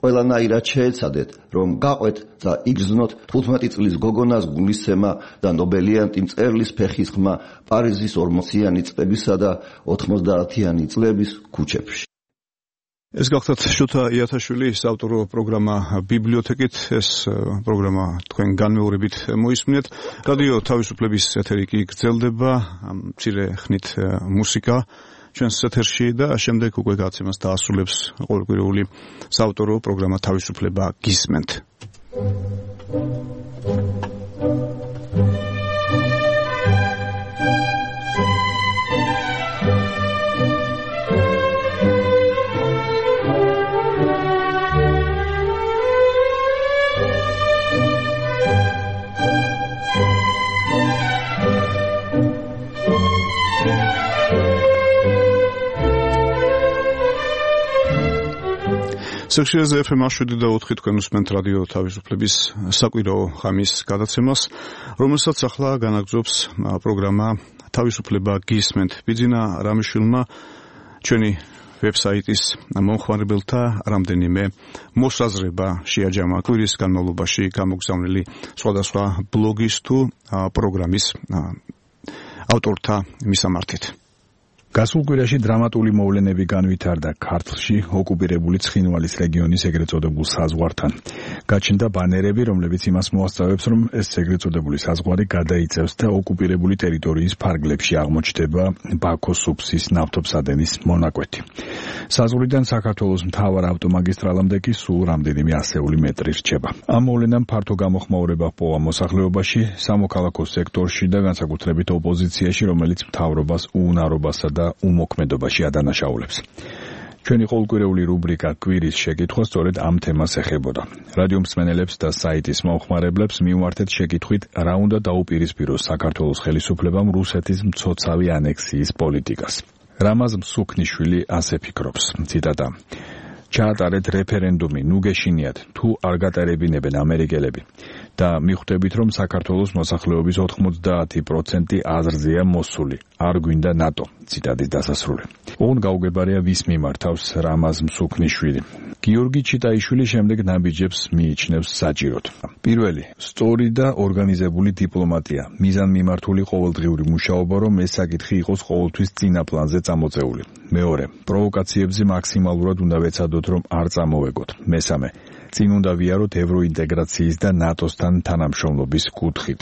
ყველანაირად შეეცადეთ, რომ გაყვეთ და იგრძნოთ 15 წლის გოგონას გულისცემა და ნობელიანტი მწერლის ფეხის ხმა პარიზის 40-იანი წლებისა და 90-იანი წლების ქუჩებში. ეს გახლავთ შოთა იათაშვილის ავტორო პროგრამა ბიბლიოთეკით. ეს პროგრამა თქვენ განმეორებით მოისმინეთ. რადიო თავისუფლების ეთერი კი გრძელდება. მცირე ხნით მუსიკა ჩვენს ეთერში და შემდეგ უკვე გაცემას დაასრულებს ყოველკვირეული საავტორო პროგრამა თავისუფლება გისმენთ. სექციაზე FM 7.4 თქვენ უსმენთ რადიო თავისუფლების საკვირაო ხამის გადაცემას, რომელსაც ახლა განაგრძობს პროგრამა თავისუფლება გისმენთ. ბიძინა რამიშვილმა ჩვენი ვებსაიტის მომხმარებელთა რამდენიმე მოსაზრება შეაჯამა კვირის განმავლობაში გამოგზავნილი სხვადასხვა ბლოგის თუ პროგრამის ავტორთა მისამართით. გასულ კვირაში დრამატული მოვლენები განვითარდა ქართლში ოკუპირებული ცხინვალის რეგიონის ეგრეთ წოდებულ საზღვართან. გაჩნდა ბანერები, რომლებიც იმას მოასწავებს, რომ ეს ეგრეთ წოდებული საზღვარი გადაიწევს და ოკუპირებული ტერიტორიის ფარგლებში აღმოჩნდება ბაქოს უბსის ნავთობსადენის მონაკვეთი. საზღვრიდან საქართველოს მთავარ ავტომაგისტრალამდე კი სულ რამდენიმე ასეული მეტრი რჩება. ამ მოვლენამ ფართო გამოხმაურება ჰპოვა მოსახლეობაში, სამოქალაქო სექტორში და განსაკუთრებით ოპოზიციაში, რომელიც მთავრობას უუნარობასა და უმოქმედობაში ადანაშაულებს. ჩვენი ყოველკვირეული რუბრიკა კვირის შეკითხვა სწორედ ამ თემას ეხებოდა. რადიო მსმენელებს და საიტის მომხმარებლებს მივმართეთ შეკითხვით, რა უნდა დაუპირისპიროს საქართველოს ხელისუფლებამ რუსეთის მცოცავი ანექსიის პოლიტიკას. რამაზ მსუქნიშვილი ასე ფიქრობს, ციტატა: ჩაატარეთ რეფერენდუმი, ნუ გეშინიათ, თუ არ გატარებინებენ ამერიკელები და მიხვდებით, რომ საქართველოს მოსახლეობის 90% აზრზეა მოსული, არ გვინდა ნატო. ციტატის დასასრული. ოღონდ გაუგებარია ვის მიმართავს რამაზ მსუქნიშვილი. გიორგი ჩიტაიშვილი შემდეგ ნაბიჯებს მიიჩნევს საჭიროდ. პირველი, სწორი და ორგანიზებული დიპლომატია, მიზანმიმართული ყოველდღიური მუშაობა, რომ ეს საკითხი იყოს ყოველთვის წინა პლანზე წამოწეული. მეორე, პროვოკაციებზე მაქსიმალურად უნდა ვეცადოთ, რომ არ წამოვეგოთ. მესამე, წინ უნდა ვიაროთ ევროინტეგრაციის და ნატოსთან თანამშრომლობის კუთხით.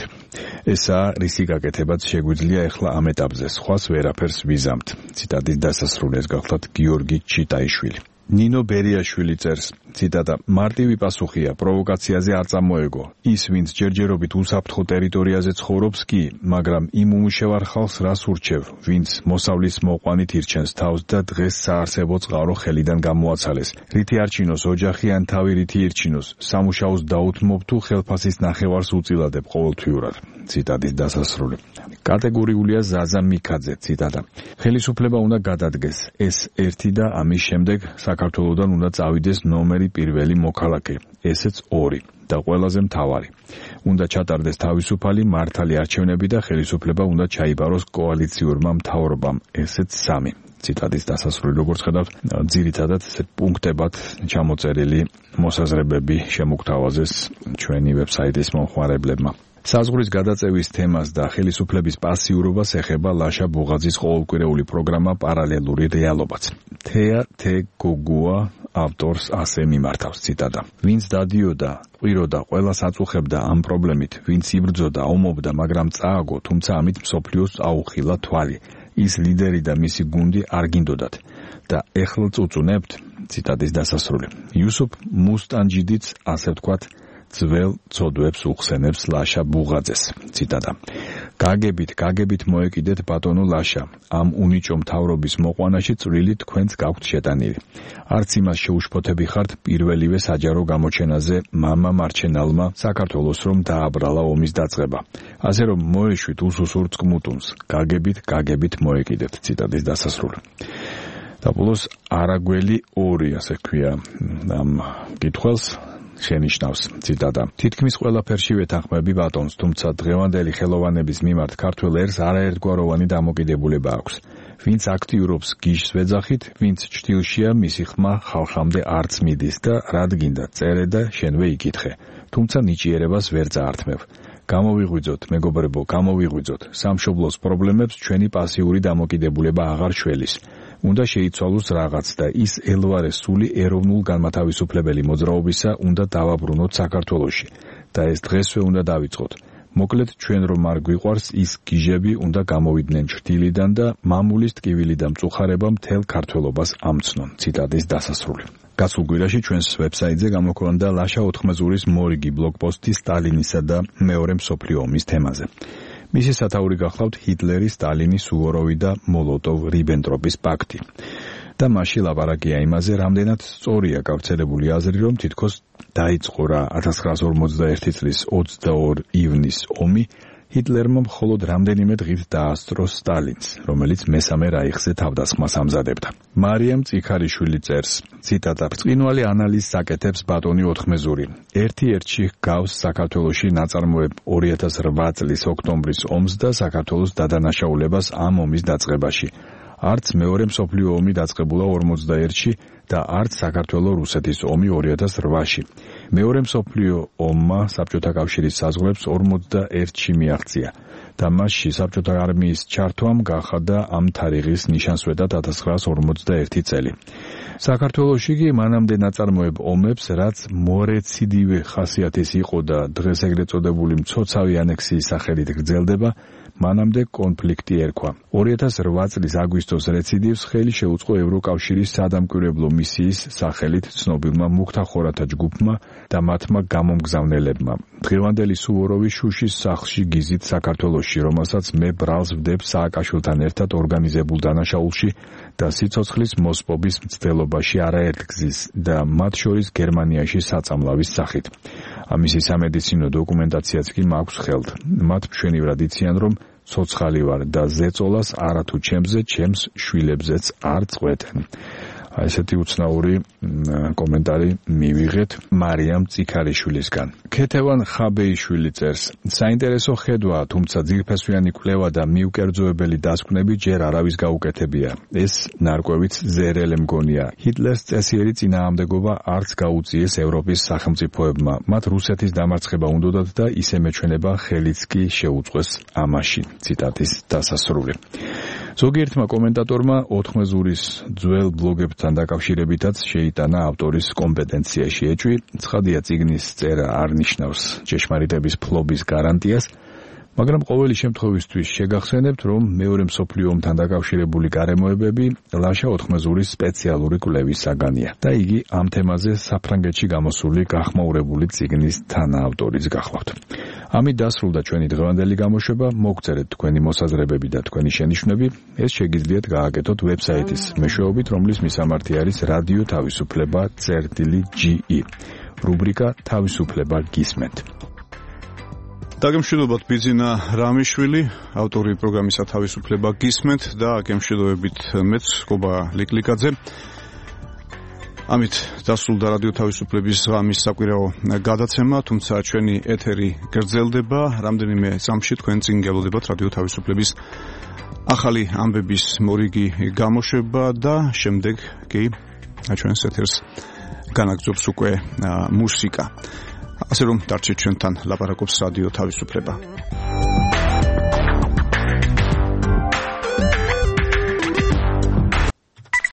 ესაა რისი გაკეთებაც შეგვიძლია ახლა ამ ეტაპზე, სხვას ვერაფერს ვიზამთ. ციტატის დასასრულს გახლავთ გიორგი ჩიტაიშვილი. ნინო ბერიაშვილი წერს, ციტატა: მარტივი პასუხია, პროვოკაციაზე არ წამოეგო. ის, ვინც ჯერჯერობით უსაფრთხო ტერიტორიაზე ცხოვრობს კი, მაგრამ იმ უმუშევარ ხალხს რას ურჩევ, ვინც მოსავლის მოყვანით ირჩენს თავს და დღეს საარსებო წყარო ხელიდან გამოაცალეს. რითი არჩინოს ოჯახი ან თავი რითი ირჩინოს, სამუშაოს დაუთმობ თუ ხელფასის ნახევარს უწილადებ ყოველთვიურად. ციტატის დასასრული. კატეგორიულია ზაზა მიქაძე, ციტატა: ხელისუფლება უნდა გადადგეს ეს ერთი და ამის შემდეგ საქართველოსდან უნდა წავიდეს ნომერი პირველი მოქალაქე, ესეც 2 და ყველაზე მთავარი. უნდა ჩატარდეს თავისუფალი მართალი არჩევნები და ხელისუფლება უნდა ჩაიბაროს კოალიციურმა მთავრობამ, ესეც 3. ციტატის დასასრული. როგორც ხედავთ, ძირითადად პუნქტებად ჩამოწერილი მოსაზრებები შემოგთავაზეს ჩვენი ვებსაიტის მომხმარებლებმა. საზღვრის გადაწევის თემას და ხელისუფლების პასიურობას ეხება ლაშა ბუღაძის ყოველკვირეული პროგრამა პარალელური რეალობაც. თეა თეგოგუა ავტორს ასე მიმართავს, ციტატა: ვინც დადიოდა, ყვიროდა, ყველას აწუხებდა ამ პრობლემით, ვინც იბრძოდა, ომობდა, მაგრამ წააგო, თუმცა ამით მსოფლიოს აუხილა თვალი. ის ლიდერი და მისი გუნდი არ გინდოდათ და ეხლა წუწუნებთ. ციტატის დასასრული. იუსუფ მუსტანჯიდიც ასე ვთქვათ ძველ ცოდვებს უხსენებს ლაშა ბუღაძეს. ციტატა: გაგებით მოეკიდეთ ბატონო ლაშა, ამ უნიჭო მთავრობის მოყვანაში წვლილი თქვენც გაქვთ შეტანილი. არც იმას შეუშფოთები ხართ პირველივე საჯარო გამოჩენაზე მამა მარჩენალმა საქართველოს რომ დააბრალა ომის დაწყება. ასე რომ მოეშვით უსუსურ წყმუტუნს, გაგებით მოეკიდეთ. ციტატის დასასრული. და ბოლოს არაგველი 2 ასე ქვია ამ კითხვას შენიშნავს, ციტატა: თითქმის ყველაფერში ვეთანხმები ბატონს, თუმცა დღევანდელი ხელოვანების მიმართ ქართველ ერს არაერთგვაროვანი დამოკიდებულება აქვს. ვინც აქტიურობს გიშს ვეძახით, ვინც ჭtilშია მისი ხმა ხალხამდე არც მიდის და რად გინდა წერე და შენვე იკითხე. თუმცა ნიჭიერებას ვერ წაართმევ. გამოვიღვიძოთ, მეგობრებო, გამოვიღვიძოთ. სამშობლოს პრობლემებს ჩვენი პასიური დამოკიდებულება აღარ შველის. უნდა შეიცვალოს რაღაც და ის ელვარე სული ეროვნულ განმათავისუფლებელი მოძრაობისა უნდა დავაბრუნოთ საქართველოში და ეს დღესვე უნდა დავიწყოთ. მოკლედ ჩვენ რომ არ გვიყვარს ის გიჟები უნდა გამოვიდნენ ჩრდილიდან და მამულის ტკივილი და მწუხარება მთელ ქართველობას ამცნონ. ციტატის დასასრული. გასულ კვირაში ჩვენს ვებსაიტზე გამოქვეყნდა ლაშა ოთხმეზურის მორიგი ბლოგპოსტი სტალინისა და მეორე მსოფლიო ომის თემაზე. მისი სათაური გახლავთ ჰიტლერი, სტალინი, სუვოროვი და მოლოტოვ-რიბენტროპის პაქტი. და მასში ლაპარაკია იმაზე, რამდენად სწორია გავრცელებული აზრი, რომ თითქოს დაიწყო რა 1941 წლის 22 ივნის ომი, ჰიტლერმა მხოლოდ რამდენიმე დღით დაასწრო სტალინს, რომელიც მესამე რაიხზე თავდასხმას ამზადებდა. მარიამ წიქარიშვილი წერს, ციტატა: "ბრწყინვალე ანალიზს აკეთებს ბატონი ოთხმეზური. ერთ-ერთში გავს საქართველოში ნაწარმოებ 2008 წლის ოქტომბრის ომს და საქართველოს დადანაშაულებას ამ ომის დაწყებაში. არც მეორე მსოფლიო ომი დაწყებულა 41-ში და არც საქართველო-რუსეთის ომი 2008-ში. მეორე მსოფლიო ომმა საბჭოთა კავშირის საზღვრებს 41-ში მიაღწია და მასში საბჭოთა არმიის ჩართვამ გახადა ამ თარიღის ნიშანსვეტად 1941 წელი. საქართველოში კი მანამდე ნაწარმოებ ომებს, რაც მორეციდივე ხასიათის იყო და დღეს ეგრეთ წოდებული მცოცავი ანექსიის სახელით გრძელდება, მანამდე კონფლიქტი ერქვა. 2008 წლის აგვისტოს რეციდივს ხელი შეუწყო ევროკავშირის სადამკვირვებლო მისიის სახელით ცნობილმა მუქთახორათა ჯგუფმა და მათმა გამომგზავნელებმა. დღევანდელი სუვოროვი შუშის სახლში გიზით საქართველოში, რომელსაც მე ბრალს ვდებ სააკაშვილთან ერთად ორგანიზებულ დანაშაულში და სიცოცხლის მოსპობის მცდელობაში არაერთგზის და მათ შორის გერმანიაში საწამლავის სახით. ამისი სამედიცინო დოკუმენტაციაც კი მაქვს ხელთ. მათ მშვენივრად იციან, რომ ცოცხალი ვარ და ზეწოლას არათუ ჩემზე, ჩემს შვილებზეც არ წყვეტენ. ესეთი უცნაური კომენტარი მივიღეთ მარიამ წიქარიშვილისგან. ქეთევან ხაბეიშვილი წერს: საინტერესო ხედვა, თუმცა ძირფესვიანი კვლევა და მიუკერძოებელი დასკვნები ჯერ არავის გაუკეთებია. ეს ნარკვევიც ზერელე მგონია. ჰიტლერს წესიერი წინააღმდეგობა არც გაუწიეს ევროპის სახელმწიფოებმა. მათ რუსეთის დამარცხება უნდოდათ და ისე მეჩვენება ხელიც კი შეუწყვეს ამაში. ციტატის დასასრული. ზოგიერთმა კომენტატორმა ოთხმეზურის ძველ ბლოგებთან დაკავშირებითაც შეიტანა ავტორის კომპეტენციაში ეჭვი. ცხადია, წიგნის წერა არ ნიშნავს ჭეშმარიტების ფლობის გარანტიას, მაგრამ ყოველი შემთხვევისთვის შეგახსენებთ, რომ მეორე მსოფლიო ომთან დაკავშირებული გარემოებები ლაშა ოთხმეზურის სპეციალური კვლევის საგანია და იგი ამ თემაზე საფრანგეთში გამოსული გახმაურებული წიგნის თანაავტორიც გახლავთ. ამით დასრულდა ჩვენი დღევანდელი გამოშვება. მოგწერეთ თქვენი მოსაზრებები და თქვენი შენიშვნები. ეს შეგიძლიათ გააკეთოთ ვებსაიტის მეშვეობით, რომლის მისამართი არის რადიო თავისუფლება.ge. რუბრიკა თავისუფლება გისმენთ. დაგემშვიდობათ ბიძინა რამიშვილი, ავტორი პროგრამისა თავისუფლება გისმენთ და გემშვიდობებით მეც გობა ლიკლიკაძე. ამით დასრულდა რადიო თავისუფლების ღამის საკვირაო გადაცემა, თუმცა ჩვენი ეთერი გრძელდება. რამდენიმე წამში თქვენ წინ გელოდებათ რადიო თავისუფლების ახალი ამბების მორიგი გამოშვება და შემდეგ კი ჩვენს ეთერს განაგრძობს უკვე მუსიკა. ასე რომ დარჩეთ ჩვენთან, ლაპარაკობს რადიო თავისუფლება.